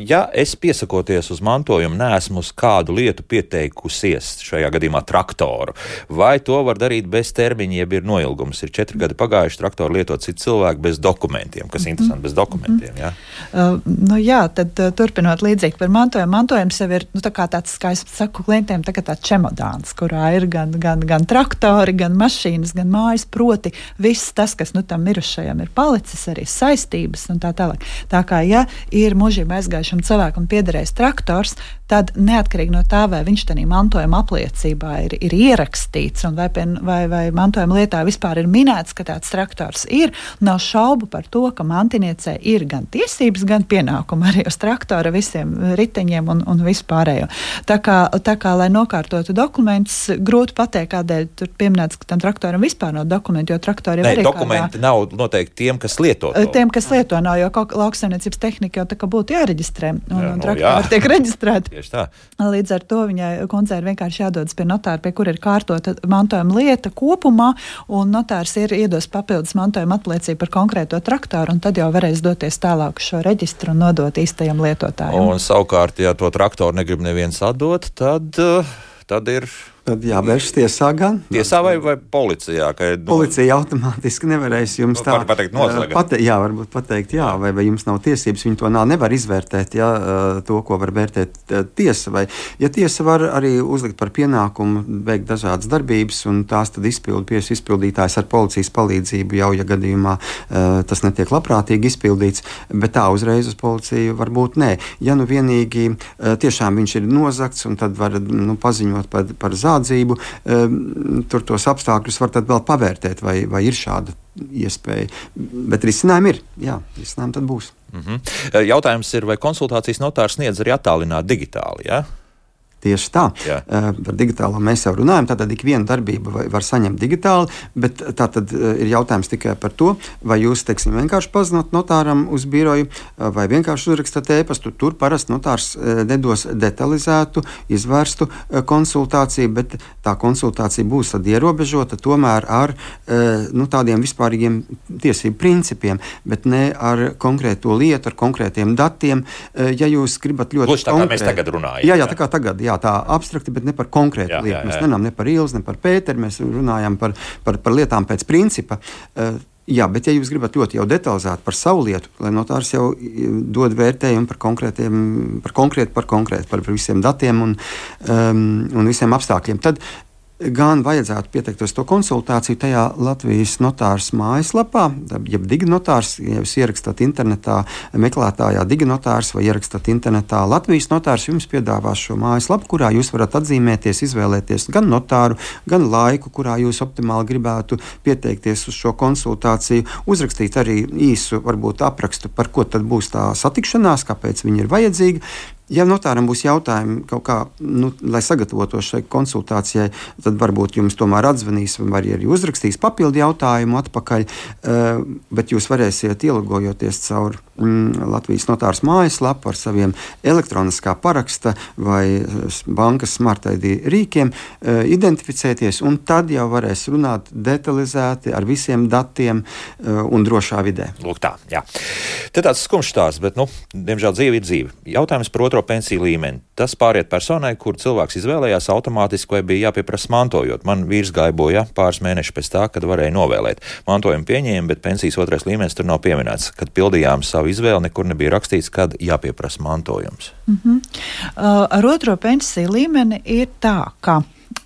Ja es piesakoties uz mantojumu neesmu uz kādu lietu pieteikusies, šajā gadījumā traktoru, vai to var darīt bez termiņa, jeb ir noilgums? Ir četri gadi pagājuši, traktoru lietot citi cilvēki bez dokumentiem, kas mm-hmm. interesanti, bez dokumentiem, jā? Uh, nu jā, tad uh, turpinot līdzīgi par mantojumu. Mantojums jau ir, nu tā kā tāds, kā es saku klientiem, tā kā tāds čemodāns, kurā ir gan, gan, gan traktori, gan mašīnas, gan mājas, proti viss tas, kas nu tam mirušajam ir palicis, arī saistības un tā tālāk. Tā kā, ja ir mūžībā aizgājušam cilvēkam piederējis traktors, tad neatkarīgi no tā, vai viņš tādā mantojuma apliecībā ir, ir ierakstīts un vai, pie, vai, vai mantojuma lietā vispār ir minēts, ka tāds traktors ir, nav šaubu par to, ka mantiniecei ir gan tiesības, gan pienākumi arī uz traktora visiem riteņiem un, un vispārējo. Tā kā, tā kā, lai nokārtotu dokumentus, grūti pateikt, kādēļ tur pieminēts, ka tam traktoram vispār nav dokumenti, jo traktori ne, arī dokumenti kādā, nav noteikti tiem, kas lieto to. Tiem, kas lieto nav, jo lauksaimniecības tehnika jau tā kā būtu jāreģistrē, un, jā, un nu, traktori tiek reģistrēti. Tieši tā. Līdz ar to viņai kundzei ir vienkārši jādodas pie notāra, pie kur ir kārtota mantojuma lieta kopumā, un notārs ir iedos papildus mantojuma apliecību par konkrēto traktoru, un tad jau varēs doties tālāk šo reģistru un nodot īstajam lietotājam. Un savukārt, ja to traktoru negrib neviens atdot, tad, tad ir... Tad jāvēršas tiesā gan. Tiesā vai, vai policijā? Ka, nu, Policija automātiski nevarēs jums tā... Var pateikt noslēgt. Pate, jā, varbūt pateikt jā, vai, vai jums nav tiesības, viņi to nav, nevar izvērtēt, jā, to, ko var vērtēt tiesa. Vai, ja tiesa var arī uzlikt par pienākumu veikt dažādas darbības, un tās tad izpildu piesu izpildītājs ar policijas palīdzību jau, ja gadījumā tas netiek labprātīgi izpildīts, bet tā uzreiz uz policiju varbūt nē. Ja nu vienīgi tiešām viņš ir nozagts, un tad var nu, paziņot par, par zādu, Atzību, tur tos apstākļus var tad vēl pavērtēt, vai, vai ir šāda iespēja. Bet risinājumi ir. Jā, risinājumi tad būs. Mm-hmm. Jautājums ir, vai konsultācijas notārs sniedz arī attālināt digitāli, jā? Tieši tā. Uh, par digitālo mēs jau runājam. Tātad ik viena darbība var, var saņemt digitāli, bet tātad uh, ir jautājums tikai par to, vai jūs, teiksim, vienkārši pazinot notāram uz biroju, uh, vai vienkārši uzrakstat ēpastu. Tur parasti notārs uh, nedos detalizētu, izvērstu uh, konsultāciju, bet tā konsultācija būs tad ierobežota tomēr ar uh, nu, tādiem vispārīgiem tiesību principiem, bet ne ar konkrēto lietu, ar konkrētiem datiem. Uh, ja jūs gribat ļoti Lūdzu, tā kā mēs tagad runājam. Jā, jā, tā kā tagad, jā. Tā abstrakti, bet ne par konkrētu jā, lietu. Jā, jā. Mēs runājam ne par Ilzi, ne par Pēteri, mēs runājam par, par, par lietām pēc principa. Uh, jā, bet ja jūs gribat ļoti jau detalizēt par savu lietu, lai notārs jau dod vērtējumu par konkrētiem, par konkrētu, par konkrētu, par visiem datiem un, um, un visiem apstākļiem, tad gan vajadzētu pieteikties to konsultāciju tajā Latvijas notārs mājaslapā, jeb diginotārs, ja jūs ierakstat internetā meklētājā diginotārs vai ierakstat internetā Latvijas notārs, jums piedāvās šo mājaslapu, kurā jūs varat atzīmēties, izvēlēties gan notāru, gan laiku, kurā jūs optimāli gribētu pieteikties uz šo konsultāciju, uzrakstīt arī īsu, varbūt aprakstu, par ko tad būs tā satikšanās, kāpēc viņa ir vajadzīga. Ja notāram būs jautājumi kaut kā, nu, lai sagatavotos šai konsultācijai, tad varbūt jums tomēr atzvanīs vai arī uzrakstīs papildu jautājumu atpakaļ, bet jūs varēsiet ielogojoties caur mm, Latvijas notārs mājaslapu ar saviem elektroniskā paraksta vai bankas Smart I D rīkiem, identificēties, un tad jau varēs runāt detalizēti ar visiem datiem un drošā vidē. Lūk tā, jā. Te tāds skumjš stāsts, bet, nu, diemžēl dzīve ir dzīve. Jautājums par otru otro pensiju līmeni. Tas pāriet personai, kur cilvēks izvēlējās automātiski vai bija jāpieprasa mantojot. Man vīrs gāja bojā pāris mēnešus pēc tā, kad varēja novēlēt. Mantojumu pieņēma, bet pensijas otrais līmenis tur nav pieminēts. Kad pildījām savu izvēli, nekur nebija rakstīts, kad jāpieprasa mantojums. Mm-hmm. Uh, ar otro pensiju līmeni ir tā, ka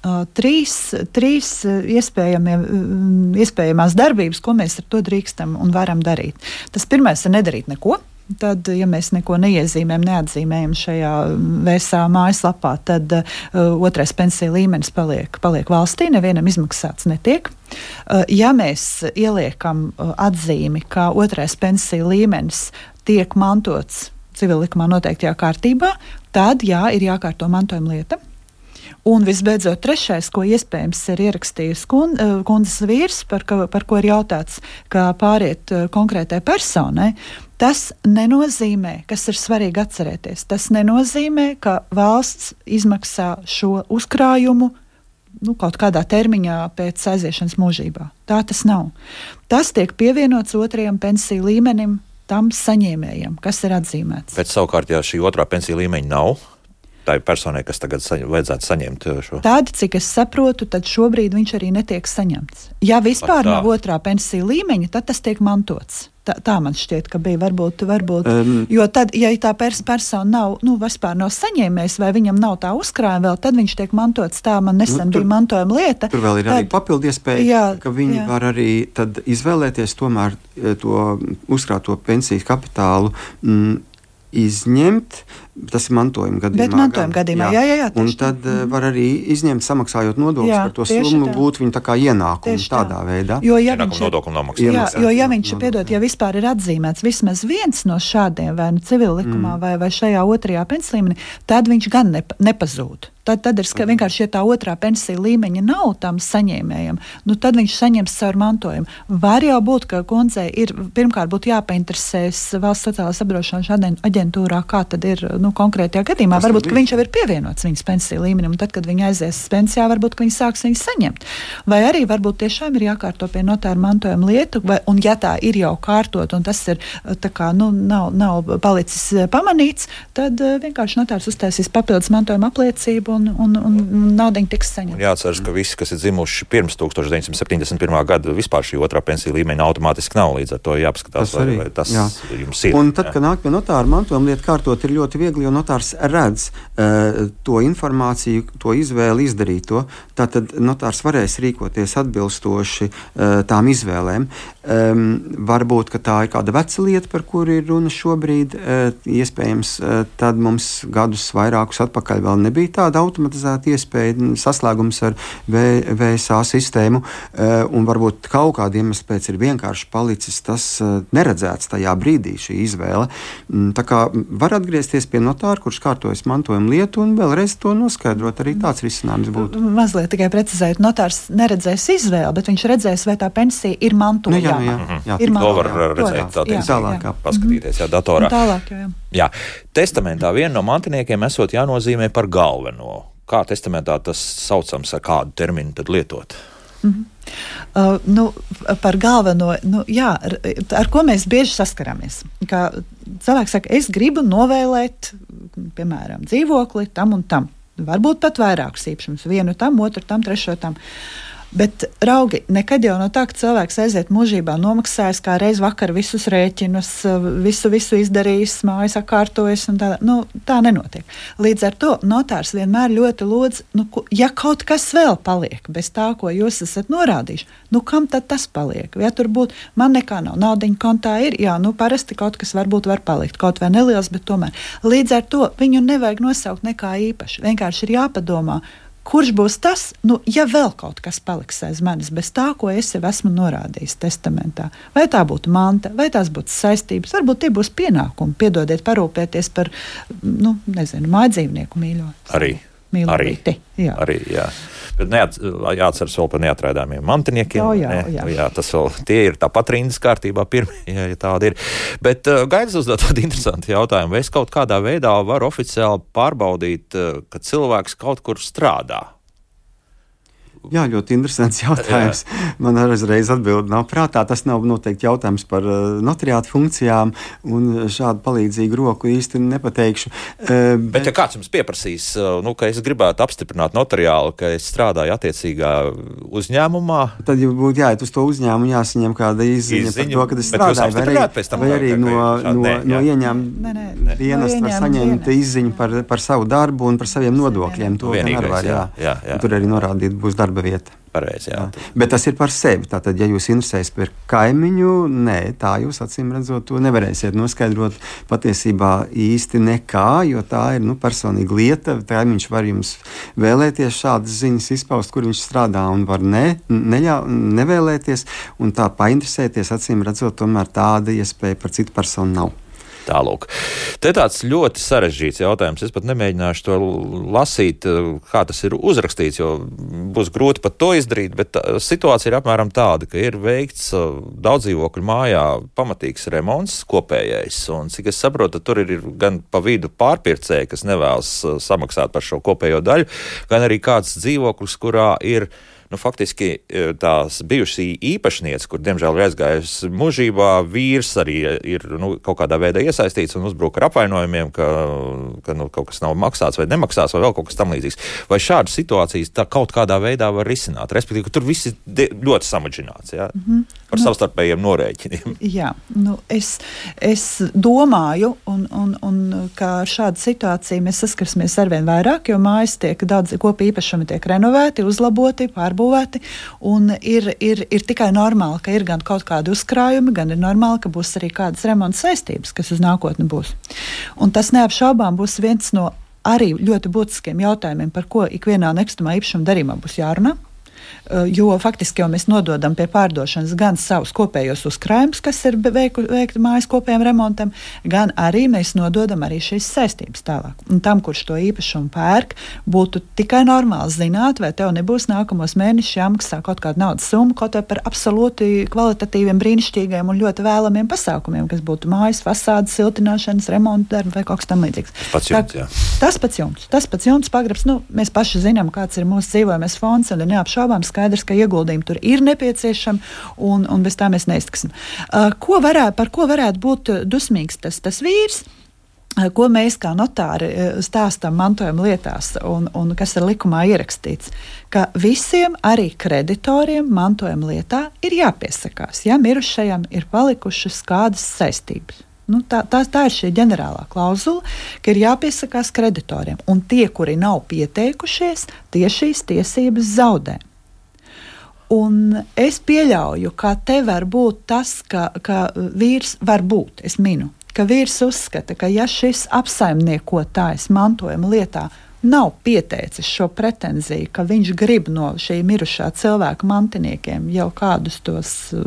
Uh, trīs, trīs iespējamās darbības, ko mēs ar to drīkstam un varam darīt. Tas pirmais ir nedarīt neko. Tad, ja mēs neko neiezīmējam, neatzīmējam šajā V S A mājaslapā, tad uh, otrais pensiju līmenis paliek, paliek valstī, nevienam izmaksāts netiek. Uh, ja mēs ieliekam uh, atzīmi, ka otrais pensiju līmenis tiek mantots civillikumā noteiktajā kārtībā, tad jā, ir jākārto mantojuma lieta. Un visbeidzot, trešais, ko iespējams ir ierakstījis kundzes vīrs, par ko, par ko ir jautāts, kā pāriet konkrētai personai, tas nenozīmē, kas ir svarīgi atcerēties, tas nenozīmē, ka valsts izmaksā šo uzkrājumu nu, kaut kādā termiņā pēc aiziešanas mūžībā. Tā tas nav. Tas tiek pievienots otrajam pensiju līmenim, tam saņēmējam, kas ir atzīmēts. Bet savukārt, ja šī otrā pensiju līmeņa nav, tā ir personai, kas tagad saņem, vajadzētu saņemt šo. Tādi, cik es saprotu, tad šobrīd viņš arī netiek saņemts. Ja vispār nav otrā pensiju līmeņa, tad tas tiek mantots. Tā, tā man šķiet, ka bija varbūt, varbūt um, jo tad, ja tā pers- persona nav, nu, vispār nav saņēmējis vai viņam nav tā uzkrājuma vēl, tad viņš tiek mantots. Tā man nesen nu, tur, bija mantojuma lieta. Tur vēl ir tad, arī papildu iespēja, jā, ka viņi jā. var arī tad izvēlēties tomēr to uzkrāto pensijas kapitālu mm, izņemt. Tas ir mantojuma gadījumā. Bet mantojuma gadījumā, jā, jā, jā. Un tad mm. var arī izņemt, samaksājot nodokļus par to summu, gūt viņu tā kā ienākumu tādā veidā. Jo, ja ienākumu viņš, nodokļu nomaksā. Jā, jo, ja viņš, piedod, ja vispār ir atzīmēts vismaz viens no šādiem, vai nu civillikumā, mm. vai, vai šajā otrajā pensiju līmenī, tad viņš gan nepa, nepazūd. Tad, tad ir ska, vienkārši, ja tā otrā pensija līmeņa nav tam saņēmējam, nu tad viņš saņems caur mantojumu. Var jau būt, ka kundzei ir, pirmkārt būtu jāpainteresēs valsts sociālās apdrošināšanas aģentūrā, kā tad ir, nu, konkrētajā gadījumā. Tas varbūt, ka viņš jau ir pievienots viņas pensiju līmenim, un tad, kad viņa aizies pensijā, varbūt, ka viņa sāks viņu saņemt. Vai arī varbūt tiešām ir jākārto pie notāra mantojuma lietu, vai, un ja tā ir jau kārtot, un tas ir, tā kā, nu, nav, nav palicis pamanīts, tad vienkārši notārs uztaisīs papildus mantojuma apliecību, un, un, un naudiņa tiks saņemta. Jāatceras, ka visi, kas ir dzimuši pirms tukstovš deviņsimt septiņdesmit pirmā gada, vispār šī otrā pensiju līmeņa automātiski nav, līdz ar to jāpaskatās, vai, vai tas jā. jums ir. Un tad, jā. kad nāk pie notāra mantojuma lietu kārtot, ir ļoti viegli, jo notārs redz uh, to informāciju, to izvēli izdarīt to. Tātad notārs varēs rīkoties atbilstoši uh, tām izvēlēm. Um, varbūt, ka tā ir kāda veca lieta, par kuru ir runa šobrīd. Uh, iespējams, uh, tad mums gadus vairākus atpakaļ vēl nebija tāda automatizēta iespēja, saslēgums ar V S A sistēmu, uh, un varbūt kaut kāda iemesla pēc ir vienkārši palicis tas uh, neredzēts tajā brīdī šī izvēle. Um, tā kā var atgriezties pie notāra, kurš kārtojas mantojuma lietu, un vēlreiz to noskaidrot. Arī tāds risinājums būtu. Mazliet tikai precizēt, notārs neredzēs izvēli, bet viņš redzēs, vai tā pensija ir mantojama. Nu, jā, jā, jā, jā. Ir to var redzēt, tā teikt, tālāk, paskatīties, jā, datorā. Un tālāk, jā. Jā, testamentā viena no mantiniekiem esot jānozīmē par galveno. Kā testamentā tas saucams, ar kādu terminu tad lietot? Mm-hmm. Uh, nu, par galveno, nu, jā, ar, ar ko mēs bieži saskaramies. Kā cilvēks saka, es gribu novēlēt, piemēram, dzīvokli tam un tam. Varbūt pat vairākus īpašumus, vienu tam, otru tam, trešo tam. Bet, raugi, nekad jau no tā, ka cilvēks aiziet mūžībā nomaksājis kā reiz vakar visus rēķinus, visu, visu izdarījis, mājas sakārtojis, un tā, nu, tā nenotiek. Līdz ar to notārs vienmēr ļoti lūdz, nu, ja kaut kas vēl paliek bez tā, ko jūs esat norādījuši, nu, kam tad tas paliek? Ja tur būtu, man nekā nav, naudiņa kontā ir, jā, nu, parasti kaut kas varbūt var palikt, kaut vai neliels, bet tomēr. Līdz ar to viņu nevajag nosaukt nekā īpaši. Vienkārši ir jāpadomā, kurš būs tas, nu, ja vēl kaut kas paliks aiz manis bez tā, ko es jau esmu norādījis testamentā. Vai tā būtu manta, vai tās būtu saistības, varbūt tie būs pienākumi, piedodiet, parūpēties par, nu, nezinu, mājdzīvnieku mīļo. Arī. Mīlīti, jā. Arī, jā. Bet neat, jāatceras vēl par neatrādāmiem mantiniekiem. Jā, jā, ne? jā. jā tas vēl, tie ir tāpat rindas kārtībā pirmie, ja, ja tāda ir. Bet uh, Gaidis uzdod tādu interesantu jautājumu. Vai es kaut kādā veidā varu oficiāli pārbaudīt, uh, ka cilvēks kaut kur strādā? Jā, ļoti interesants jautājums. Jā. Man uzreiz atbildi nav prātā. Tas nav noteikti jautājums par notariātu funkcijām, un šādu palīdzīgu roku īsti nepateikšu. Bet, bet ja kāds jums pieprasīs, nu, ka es gribētu apstiprināt notariāli, ka es strādāju attiecīgā uzņēmumā, tad jau būtu jāiet uz to uzņēmumu, jāsaņem kāda izziņa par to, ka es strādāju, vai arī, vai arī no, no, no, no ieņēmuma dienesta var saņemt izziņu par, par savu darbu un par saviem nodokļiem. To vienīgais, var, jā. Jā, jā. Tur arī norādīt būs darba vieta. Pareizi, jā. Jā. Bet tas ir par sevi. Tātad, ja jūs interesēs par kaimiņu, nē, tā jūs acīm redzot to nevarēsiet noskaidrot patiesībā īsti nekā, jo tā ir nu, personīga lieta. Kaimiņš var jums vēlēties šādas ziņas izpaust, kur viņš strādā, un var ne, neļā, nevēlēties, un tā painteresēties, acīm redzot, tomēr tāda iespēja par citu personu nav. Tālūk. Te tāds ļoti sarežģīts jautājums. Es pat nemēģināšu to lasīt, kā tas ir uzrakstīts, jo būs grūti pat to izdarīt, bet situācija ir apmēram tāda, ka ir veikts daudz dzīvokļu mājā pamatīgs remonts kopējais, un cik es saprotu, tur ir gan pa vidu pārpircēji, kas nevēlas samaksāt par šo kopējo daļu, gan arī kāds dzīvoklis, kurā ir nu, faktiski tās bijušī īpašniece, kur, diemžēl, ir aizgājusi mūžībā, vīrs arī ir nu, kaut kādā veidā iesaistīts un uzbruk ar apvainojumiem, ka, ka nu, kaut kas nav maksāts vai nemaksāts vai vēl kaut kas tam līdzīgs. Vai šādas situācijas tā kaut kādā veidā var risināt? Respektīvi, ka tur viss ir ļoti samaģināts, jā? Mm-hmm. Par nu, savstarpējiem norēķiniem. Jā, nu, es, es domāju, un, un, un kā ar šādu situāciju mēs saskarsimies arvien vairāk, jo mājas tiek daudz kopīgi īpašumi tiek renovēti, uzlaboti, pārbūvēti. Būvēti, un ir, ir, ir tikai normāli, ka ir gan kaut kādi uzkrājumi, gan ir normāli, ka būs arī kādas remonta saistības, kas uz nākotni būs. Un tas neapšaubām būs viens no arī ļoti būtiskiem jautājumiem, par ko ikvienā nekustamā īpašuma darījumā būs jārunā. Jo faktiski jau mēs nododam pie pārdošanas gan savus kopējos uzkrājumus, kas ir veiku, veikti mājas kopējiem remontam, gan arī mēs nododam arī šīs saistības tālāk. Un tam, kurš to īpašumu pērk, būtu tikai normāli zināt, vai tev nebūs nākamos mēnešus jāmaksā kaut kāda naudas summa, kaut vai par absolūti kvalitatīviem, brīnišķīgiem un ļoti vēlamiem pasākumiem, kas būtu mājas fasādes, siltināšanas, remonta darbi vai kaut kas tam līdzīgs. Pats jumts, jā. Tas pats jumts, tas pats jumts pagrabs, nu, mēs paši zinām, kāds ir mūsu dzīvojamies fonds, un ir neapšaubām skaidrs, ka ieguldījumi tur ir nepieciešami, un, un bez tā mēs neiztiksim. Uh, ko varētu, par ko varētu būt dusmīgs tas, tas vīrs, uh, ko mēs kā notāri stāstam mantojuma lietās, un, un kas ir likumā ierakstīts, ka visiem arī kreditoriem mantojuma lietā ir jāpiesakās, ja mirušajam ir palikušas kādas saistības. Nu, tā, tā, tā ir šī ģenerālā klauzula, ka ir jāpiesakās kreditoriem, un tie, kuri nav pieteikušies, tie šīs tiesības zaudē. Un es pieļauju, ka te var būt tas, ka, ka vīrs var būt, es minu, ka vīrs uzskata, ka ja šis apsaimniekotājs mantojuma lietā nav pieteicis šo pretenziju, ka viņš grib no šī mirušā cilvēka mantiniekiem jau kādus tos uh,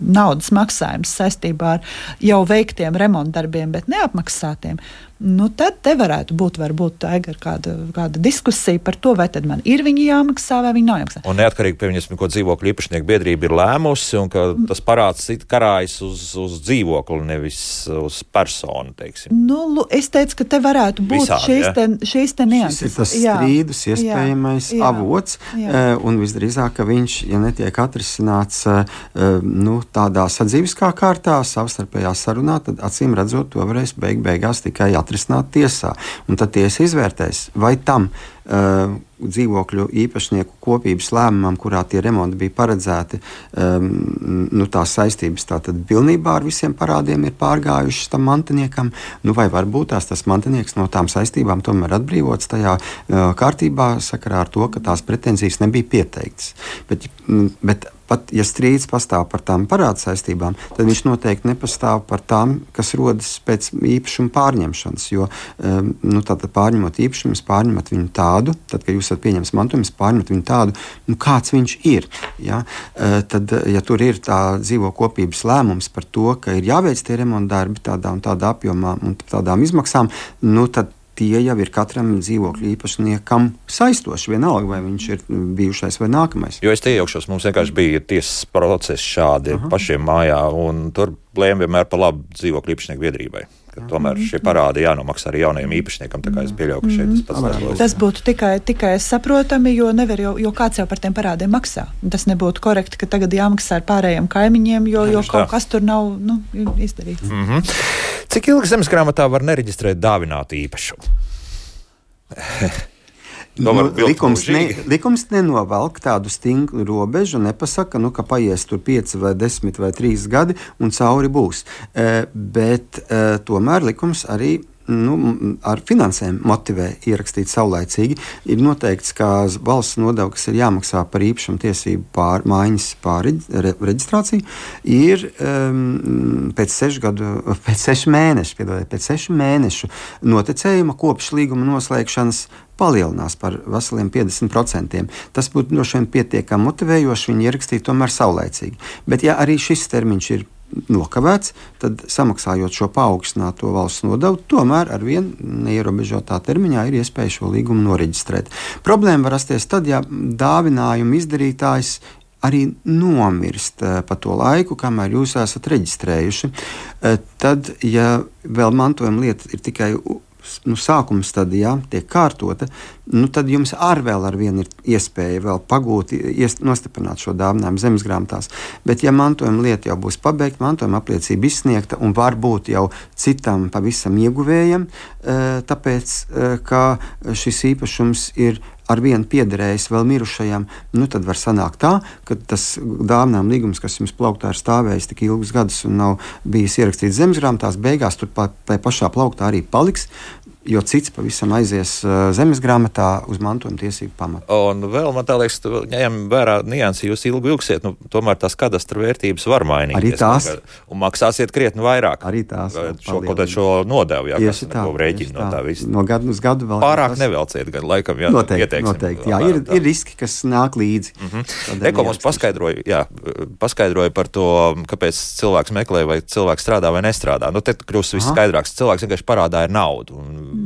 naudas maksājumus saistībā ar jau veiktiem remontdarbiem, bet neapmaksātiem, nu tad te varētu būt varbūt Aigar kāda, kāda diskusija par to, vai tad man ir viņi jāmaksā vai viņi nav jāmaksā. Un neatkarīgi, pieņemsim, ko dzīvokļu īpašnieku biedrība ir lēmusi, un ka tas parāds karājas uz, uz dzīvokli, nevis uz personu, teiksim. Nu, es teicu, ka te varētu būt Visādi, šīs, ja? te, šīs te nianses. Šis ir tas strīdus iespējamais jā, jā, avots, jā. Un visdrīzāk, ka viņš, ja netiek atrisināts nu, tādā sadzīviskā kārtā, savstarpējā sarunā, tad acīm redzot, to varēs beig beigās tikai atrisināt tiesā. Un tad tiesa izvērtēs, vai tam uh, dzīvokļu īpašnieku kopības lēmumam, kurā tie remonti bija paredzēti, um, nu, tās saistības tātad pilnībā ar visiem parādiem ir pārgājušas tam mantiniekam, nu, vai varbūt tās tas mantinieks no tām saistībām tomēr atbrīvots tajā uh, kārtībā sakarā ar to, ka tās pretenzijas nebija pieteiktas. Bet, bet pat, ja strīds pastāv par tām parādu saistībām, tad viņš noteikti nepastāv par tām, kas rodas pēc īpašuma pārņemšanas, jo um, nu, tātad pārņemot īpašumu, pārņemat viņu tādu, tad, kad jūs esat pieņems mantojumus, pārņemat viņu tādu, nu, kāds viņš ir. Ja? Uh, tad, ja tur ir tā dzīvo kopības lēmums par to, ka ir jāveic tie remonta darbi tādā un tādā apjomā un tādām izmaksām, nu, tad tie jau ir katram dzīvokļu īpašniekam saistoši, vienalga, vai viņš ir bijušais vai nākamais. Jo es te iejaukšos, mums vienkārši bija tiesas procesi šādi Aha. pašiem mājā, un tur lēma vienmēr par labu dzīvokļu īpašnieku biedrībai. ka tomēr šie parādi jānomaksā arī jaunajiem īpašniekam, tā kā es pieļauju, ka šeit tas pats darbojas. Tas būtu tikai, tikai saprotami, jo nevar jau, jo kāds jau par tiem parādiem maksā. Tas nebūtu korekti, ka tagad jāmaksā ar pārējiem kaimiņiem, jo, jo kaut kas tur nav, nu, izdarīts. Mm-hmm. Cik ilgi zemesgrāmatā var nereģistrēt dāvinātu īpašumu? Nu, likums, ne, likums nenovelk tādu stingru robežu, nepasaka, nu, ka paies tur pieci vai desmit vai trīs gadi un cauri būs. E, bet e, tomēr likums arī nu, ar finansēm motivē ierakstīt saulaicīgi. Ir noteikts, ka valsts nodeva, kas ir jāmaksā par īpašumu tiesību pār, mājiņas pārreģistrāciju, ir um, pēc sešu gadu, pēc sešu mēnešu, piedodiet, pēc sešu mēnešu noticējuma kopš līguma noslēgšanas palielinās par veseliem piecdesmit procentiem. Tas būtu droši vien pietiekami motivējoši viņi ierakstīt tomēr saulaicīgi. Bet ja arī šis termiņš ir nokavēts, tad samaksājot šo paaugstināto valsts nodevu, tomēr ar vien neierobežotā termiņā ir iespēja šo līgumu noreģistrēt. Problēma var rasties tad, ja dāvinājuma izdarītājs arī nomirst pa to laiku, kamēr jūs esat reģistrējuši. Tad, ja vēl mantojuma lieta ir tikai nu, sākuma stadijā, tiek kārtota, nu, tad jums ar vēl ar vienu ir iespēja vēl pagūt, iest, nostiprināt šo dāvinājumu zemesgrāmatās. Bet, ja mantojuma lieta jau būs pabeigta, mantojuma apliecība izsniegta un varbūt jau citam pavisam ieguvējam, tāpēc, ka šis īpašums ir ar vienu piederējis vēl mirušajam, nu tad var sanākt tā, ka tas dāvinājuma līgums, kas jums plauktā ir stāvējis tik ilgus gadus un nav bijis ierakstīts zemesgrāmatās, beigās tur pa, pa pašā plauktā arī paliks, jo cits pavisam aizies uh, zemesgrāmatā uz mantojuma tiesību pamatu. Un vēl man tā liekas, ņem vērā niansi, jūs ilgi ilgsiet, nu tomēr tās kadastra vērtības var mainīties. Arī tās. Un maksāsiet krietni vairāk. Arī tās. Šo, kaut šo nodevu, jā, kas tā, rēķina no tā visa. No gadu uz gadu vēl. Pārāk tas... nevelciet, gan laikam, jā, noteikti, ieteiksim. Noteikti, jā, ir, ir riski, kas nāk līdzi. Mm-hmm. Eko mums paskaidroja, jā, paskaidroja par to, kāpēc cilvēks meklē, vai cilvēks strādā vai nestrādā. Nu, te kļūst viss skaidrāks. Cilvēks vienkārši parādā ir naudu. Un,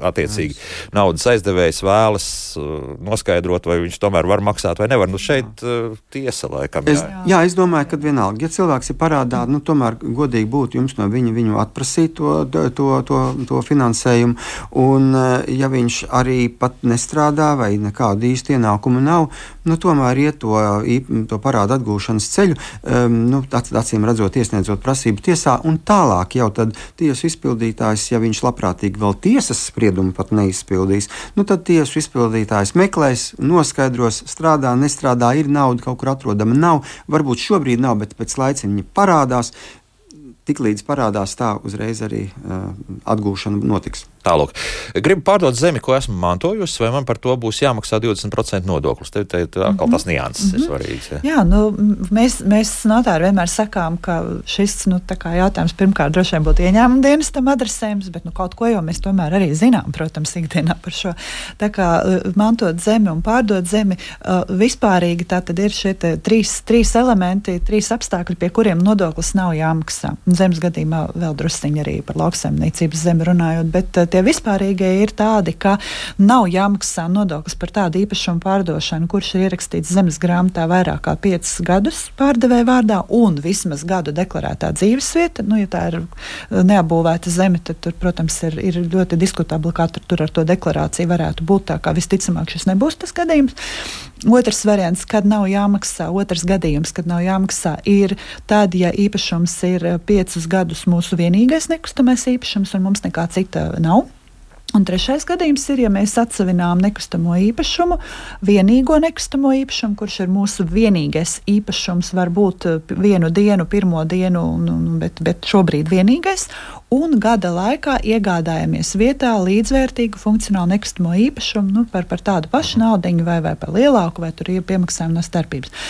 attiecīgi, naudas aizdevējs vēlas uh, noskaidrot, vai viņš tomēr var maksāt vai nevar. Nu, šeit uh, tiesa laikam. Es, jā. jā, es domāju, ka vienalga, ja cilvēks ir parādā, nu, tomēr godīgi būtu jums no viņa viņu atprasīt to, to, to, to finansējumu. Un, uh, ja viņš arī pat nestrādā vai nekādu īstu ienākumu nav, nu, tomēr iet to, to parādu atgūšanas ceļu, um, nu, acīm redzot, iesniedzot prasību tiesā, un tālāk jau tad tiesu izpildītājs, ja viņš labprātīgi vēl tiesas spriedumu pat neizpildīs, nu tad tiesu izpildītājs meklēs, noskaidros, strādā, nestrādā, ir nauda kaut kur atrodama, nav, varbūt šobrīd nav, bet pēc laiciņa viņa parādās, tiklīdz parādās tā, uzreiz arī uh, atgūšana notiks. Tālūk. Gribu pārdot zemi, ko esmu mantojusi, vai man par to būs jāmaksā divdesmit procenti nodoklis? Te, te, te atkal tas nianses mm-hmm. ir svarīgs. Ja. Jā, nu, mēs, mēs notāri vienmēr sakām, ka šis, nu, tā kā jautājums pirmkārt droši vien būtu ieņēmuma dienestam adresējums, bet, nu, kaut ko jau mēs tomēr arī zinām, protams, ikdienā par šo. Tā kā mantot zemi un pārdot zemi, uh, vispārīgi tā tad ir šie trīs, trīs elementi, trīs apstākļi, pie kuriem nodoklis nav jāmaksā. Zemes gadījumā vēl drusciņi arī par lauksaimniecības zemi runājot, bet uh, tie vispārīgie ir tādi, ka nav jāmaksā nodoklis par tādu īpašumu pārdošanu, kurš ir ierakstīts zemes grāmatā vairāk kā piecus gadus pārdevēja vārdā un vismaz gadu deklarētā dzīvesvieta. Nu, ja tā ir neapbūvēta zeme, tad tur, protams, ir, ir ļoti diskutabli, kā tur, tur ar to deklarāciju varētu būt, tā kā visticamāk šis nebūs tas gadījums. Otrs variants, kad nav jāmaksā, otrs gadījums, kad nav jāmaksā, ir tad, ja īpašums ir piecus gadus mūsu vienīgais nekustamais īpašums un mums nekā cita nav. Un trešais gadījums ir, ja mēs atsevinām nekustamo īpašumu, vienīgo nekustamo īpašumu, kurš ir mūsu vienīgais īpašums, var būt vienu dienu, pirmo dienu, bet, bet šobrīd vienīgais, un gada laikā iegādājamies vietā līdzvērtīgu funkcionālu nekustamo īpašumu, nu, par, par tādu pašu naudiņu vai, vai par lielāku, vai tur ir piemaksājumi no starpības.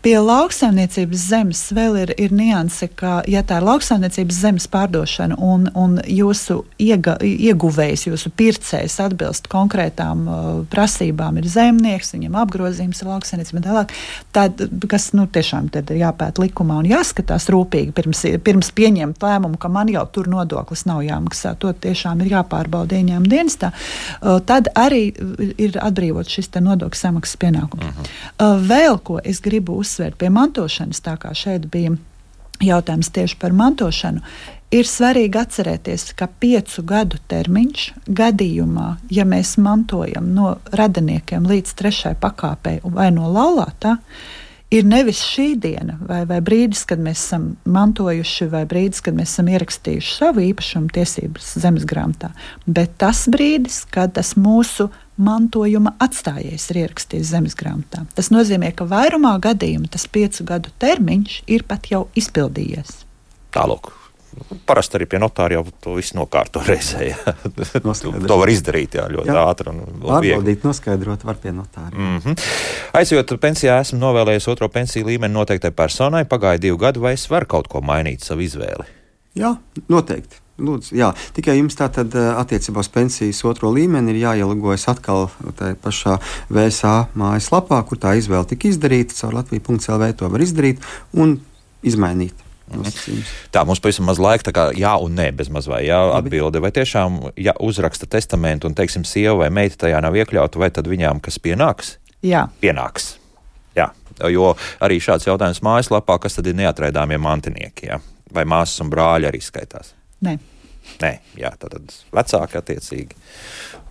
Pie lauksaimniecības zemes vēl ir, ir nianse, ka, ja tā ir lauksaimniecības zemes pārdošana un, un jūsu iega, ieguvējs, jūsu pircējs atbilst konkrētām uh, prasībām, ir zemnieks, viņam apgrozījums ir lauksaimniecība un tālāk, tad, kas, nu, tiešām tad ir jāpēt likumā un jāskatās rūpīgi pirms, pirms pieņemt lēmumu, ka man jau tur nodoklis nav jāmaksā, to tiešām ir jāpārbauda ieņēmuma dienestā, uh, tad arī ir atbrīvot šis te nodokļu samaksas pienākums. Uh-huh. Uh, vēl ko es gribu uzsvērt pie mantošanas, tā kā šeit bija jautājums tieši par mantošanu. Ir svarīgi atcerēties, ka piecu gadu termiņš gadījumā, ja mēs mantojam no radiniekiem līdz trešai pakāpei vai no laulātā, ir nevis šī diena vai, vai brīdis, kad mēs esam mantojuši, vai brīdis, kad mēs esam ierakstījuši savu īpašumu tiesības zemes grāmatā, bet tas brīdis, kad tas mūsu mantojuma atstājējs ir ierakstījis zemes grāmatā. Tas nozīmē, ka vairumā gadījumu tas piecu gadu termiņš ir pat jau izpildījies. Tālāk. Parasti arī pie notāra jau to visu nokārto reizē. To var izdarīt jā, ļoti jā. ātri un, un Pārbaudīt, noskaidrot var pie notāra. Mm-hmm. Aizjot pensijā, esmu novēlējis otro pensiju līmeni noteiktai personai. Pagāja divu gadu, vai es varu kaut ko mainīt savu izvēli? Jā, noteikti. Lūdzu, jā. Tikai jums tātad attiecībā uz pensijas otro līmeni ir jāielūgojas atkal tajā pašā V S A mājaslapā, kur tā izvēle tika izdarīta, caur latvija punkts l v to var izdarīt un izmainīt. Nosacījums. Tā, mums pavisam maz laika, tā kā jā un nē, bez maz vai jā atbilde, vai tiešām, ja uzraksta testamentu un, teiksim, sieva vai meita tajā nav iekļauta, vai tad viņām kas pienāks? Jā. Pienāks. Jā, jo arī šāds jautājums mājaslapā, kas tad ir neatraidāmie mantinieki, jā? Vai māsas un brāļi arī skaitās? Nē. Nē, jā, tad vecāki attiecīgi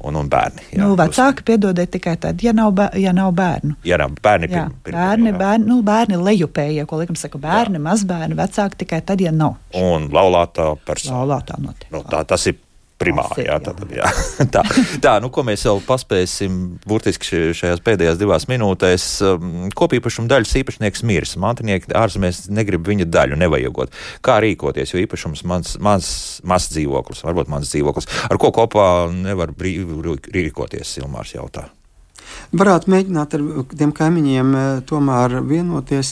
un, un bērni. Jā, nu, vecāki piedodiet tikai tad, ja nav, bē, ja nav bērnu. Ja nav bērni, jā, pirm, pirm, bērni, jā. bērni, nu, bērni lejupējie, ko likam saka, bērni, jā. mazbērni, vecāki tikai tad, ja nav. Un laulātā persona. Laulātā notiek. Nu, tā, tas ir primāri, jā, tā, jā. tā, tā, nu, ko mēs jau paspēsim burtiski šajās pēdējās divās minūtēs. Kopīpašuma daļas īpašnieks mirs, mantinieki ārzemēs negrib viņa daļu nevajagot. Kā rīkoties, jo īpašums mans, mans, mans dzīvoklis, varbūt mans dzīvoklis, ar ko kopā nevar brīvi rīkoties, Ilmārs jautā. Varētu mēģināt ar tiem kaimiņiem tomēr vienoties,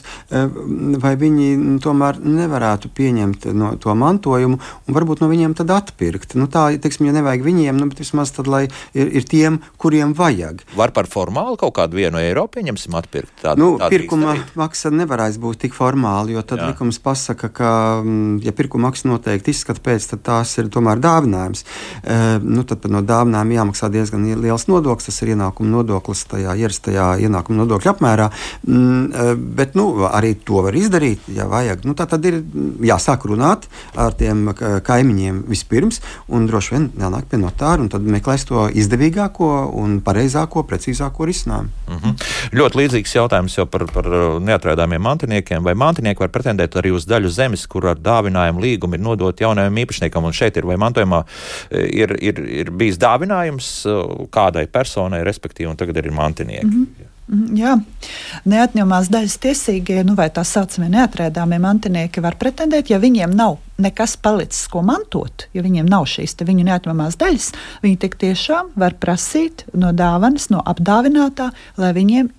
vai viņi tomēr nevarētu pieņemt no to mantojumu un varbūt no viņiem tad atpirkt. Nu tā, teiksim, ja nevajag viņiem, nu, bet vismaz tad, lai ir, ir tiem, kuriem vajag. Var par formāli kaut kādu vienu eiro pieņemsim atpirkt? Tādu, nu, tādu pirkuma maksa nevarēs būt tik formāli, jo tad jā. likums pasaka, ka, ja pirkuma maksa noteikti izskata pēc, tad tās ir tomēr dāvinājums. E, nu, tad no dāvinājuma jāmaksā diezgan liels nodoklis, tas ir ienākuma nodoklis tajā ierastajā ienākuma nodokļa apmērā, mm, bet nu, arī to var izdarīt, ja vajag. Nu, tā tad ir jāsāk runāt ar tiem kaimiņiem vispirms un droši vien jānāk pie notāra un tad meklēs to izdevīgāko un pareizāko, precīzāko risinājumu. Mm-hmm. Ļoti līdzīgs jautājums jau par, par neatraidāmiem mantiniekiem. Vai mantinieki var pretendēt arī uz daļu zemes, kur ar dāvinājumu līgumu ir nodot jaunajam īpašniekam, un šeit ir vai mantojumā ir, ir, ir bijis dāvinājums kādai personai, respektīvi, un tagad ir mantinieki. Mm-hmm. Jā, neatņemamās daļas tiesīgie, nu vai tā saucamie neatraidāmie mantinieki var pretendēt, ja viņiem nav nekas palicis, ko mantot, ja viņiem nav šīs te viņu neatņemamās daļas, viņi tik tiešām var prasīt no dāvanas, no apdāvinātā, lai viņiem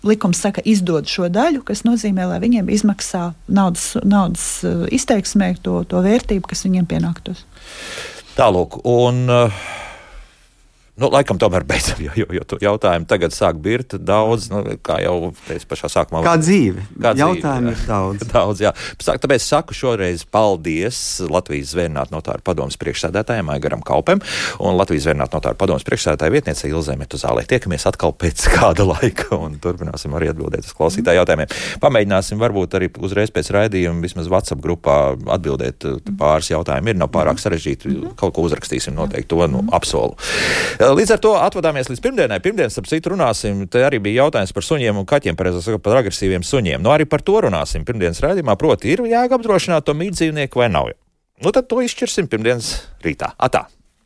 likums saka izdod šo daļu, kas nozīmē, lai viņiem izmaksā naudas, naudas izteiksmē to, to vērtību, kas viņiem pienāktos. Tālūk, un... Uh... Nu, laikam tomēr beidzam, jo, jo, jo jautājumu tagad sāk birt daudz, nu, kā jau teicu pašā sākumā. Kā dzīve. Kā Jautājumu dzīve, ir daudz. daudz, jā. Tāpēc saku šoreiz paldies Latvijas Zvērinātu notāru padomes priekšsēdētājiem Aigaram Kaupem un Latvijas Zvērinātu notāru padomes priekšsēdētāja vietniece Ilzei Metuzālei. Tiekamies atkal pēc kāda laika un turpināsim arī atbildēt uz klausītāju jautājumiem. Pamēģināsim varbūt arī uzreiz pēc raidījuma vismaz WhatsApp grupā atbildēt pāris jautājumu. Ir nav pārāk sarežģīti, kaut ko uzrakstīsim noteikti, to nu, apsolu. Līdz ar to atvadāmies līdz pirmdienai. Pirmdienas, ap citu, runāsim. Te arī bija jautājums par suņiem un kaķiem, pareizāk sakot, par agresīviem suņiem. Nu, arī par to runāsim pirmdienas raidījumā. Proti, ir jāapdrošināt to mītdzīvnieku vai nav. Nu, tad to izšķirsim pirmdienas rītā. Atā!